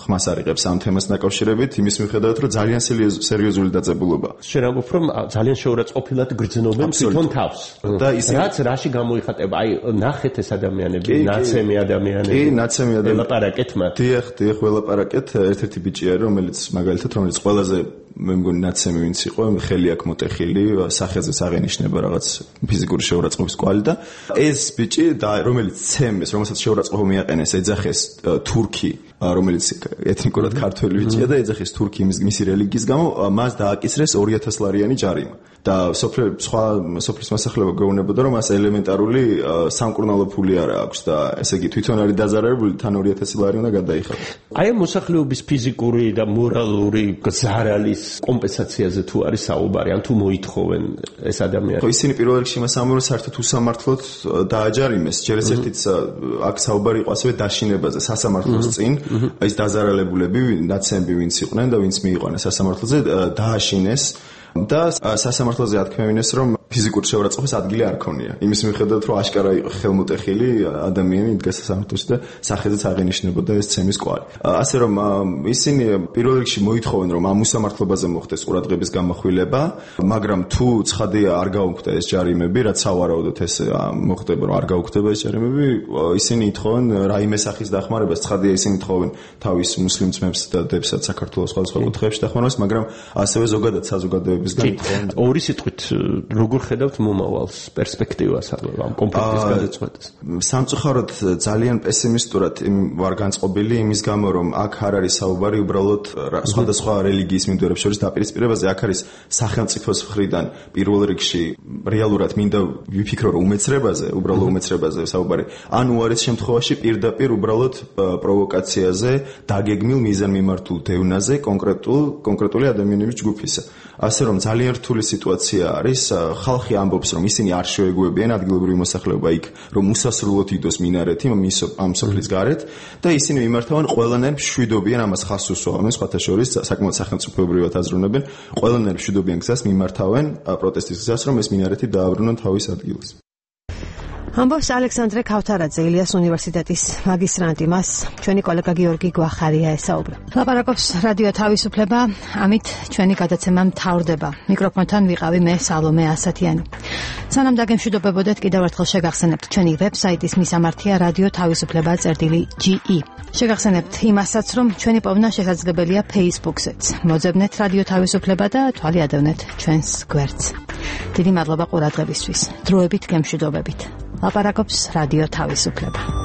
ხმას არ იღებს ამ თემას დაკავშირებით, იმის მიუხედავად, რომ ძალიან სერიოზული დაძაბულობა. შენ ამბობ, რომ ძალიან შეურაცხყოფილად გრძნობენ თვითონ თავს. და ისე რაც რაში გამოიხატება, აი ნახეთ ეს ადამიანები, ნაცემი ადამიანები. კი, ნაცემი ადამიანები. ელაპარაკეთ მათ. დიახ, დიახ, ველაპარაკეთ. ერთ-ერთი ბიჭი არის, რომელიც მაგალითად, რომელიც ყველაზე მე მგონი ნაცემი ვინც იყო, ხელი აქვს მოტეხილი, სახეზეც აღენიშნება რაღაც ფიზიკური შეურაცხყოფის კვალი და ეს ბიჭი და რომელიც ცემეს, რომელსაც შეურაცხყოფა მიაყენეს, ეძახეს თურქი, რომელიც ეთნიკურად ქართველი ბიჭია და ეძახეს თურქი მისი რელიგიის გამო, მას დააკისრეს ორი ათას ლარიანი ჯარიმა. და სოფლის სხვა სოფლის მოსახლეობა გეუბნებოდა, რომ მას ელემენტარული სამკურნალო ფული არ აქვს და ესე იგი თვითონ არის დაზარალებული, თან ორი ათასი ლარი უნდა გადაიხადოს. აი ამ მოსახლეობის ფიზიკური და მორალური გზარალის კომპენსაციაზე თუ არის საუბარი, ან თუ მოითხოვენ ეს ადამიანები. ისინი პირველ რიგში მას ამბობენ საერთოდ უსამართლოდ დააჯარიმეს. ჯერ ეს ერთიც აქ საუბარი იყო ასევე დაშინებაზე სასამართლოს წინ, ეს დაზარალებულები, ნაცემები ვინც იყვნენ და ვინც მიიყვანეს სასამართლოზე, დააშინეს. და სასამართლოზე ათქმევინეს, რომ ფიზიკური შეურაცხყოფის ადგილი არ ქონია. იმის მიუხედავად, რომ აშკარა იყო ხელმოტეხილი ადამიანი იდგა სასამართლოში და სახეზეც აღენიშნებოდა ეს ცემის კვალი. ასე რომ ისინი პირველ რიგში მოითხოვენ, რომ ამ უსამართლობაზე მოხდეს ყურადღების გამახვილება, მაგრამ თუ ცხადია არ გაუქმდა ეს ჯარიმები, რაც სავარაუდოდ ეს მოხდება, რომ არ გაუქმდება ეს ჯარიმები, ისინი ითხოვენ რაიმე სახის დახმარებას, ცხადია ისინი ითხოვენ თავის მუსლიმ ძმებს და დებსაც საქართველოს სხვადასხვა კუთხეებში დახმარებას, მაგრამ ასევე ზოგადად საზოგადოებისგან ითხოვენ. ორი სიტყვით, როგორ ხედავთ მომავალს, პერსპექტივას ამ კონფლიქტის გადაწყვეტას? სამწუხაროდ ძალიან პესიმისტურად ვარ განწყობილი იმის გამო, რომ აქ არ არის საუბარი უბრალოდ სხვადასხვა რელიგიის მიმდევრებს შორის დაპირისპირებაზე, აქ არის სახელმწიფოს მხრიდან პირველ რიგში რეალურად მინდა ვიფიქრო, რომ უმეცრებაზე, უბრალოდ უმეცრებაზე საუბარი. ან უარის შემთხვევაში პირდაპირ უბრალოდ პროვოკაციაზე, დაგეგმილ მიზანმიმართულ დევნაზე კონკრეტულ კონკრეტული ადამიანების ჯგუფისა. ასე რომ ძალიან რთული სიტუაცია არის, ხალხი ამბობს, რომ ისინი არ შეეგუებიან ადგილობრივი მოსახლეობა იქ, რომ უსასრულოდ იდოს მინარეთი ამ სოფლის გარეთ და ისინი მიმართავენ ყველანაირ მშვიდობიან ამას ხაზს უსვამენ, სხვათა შორის საკმაოდ სახელმწიფოებრივად აზროვნებენ, ყველანაირ მშვიდობიან გზას მიმართავენ პროტესტის გზას, რომ ეს მინარეთი დააბრუნონ თავის ადგილას. ამბობს ალექსანდრე ქავთარაძე, ილიას უნივერსიტეტის მაგისტრანტი. მას ჩვენი კოლეგა გიორგი გვახარია ესაუბრა. ლაპარაკობს რადიო თავისუფლება, ამით ჩვენი გადაცემა მთავრდება. მიკროფონთან ვიყავი მე სალომე ასათიანი. სანამ დაგემშვიდობებოდეთ, კიდევ ერთხელ შეგახსენებთ ჩვენი ვებსაიტის მისამართია რადიო თავისუფლება წერტილი ჯი ი. შეგახსენებთ იმასაც, რომ ჩვენი პოვნა შესაძლებელია Facebook-ზეც. მოძებნეთ რადიო თავისუფლება და თვალი ადევნეთ ჩვენს გვერდს. დიდი მადლობა ყურადღებისთვის. დროებით გემშვიდობებით. ლაპარაკობს რადიო თავისუფლება.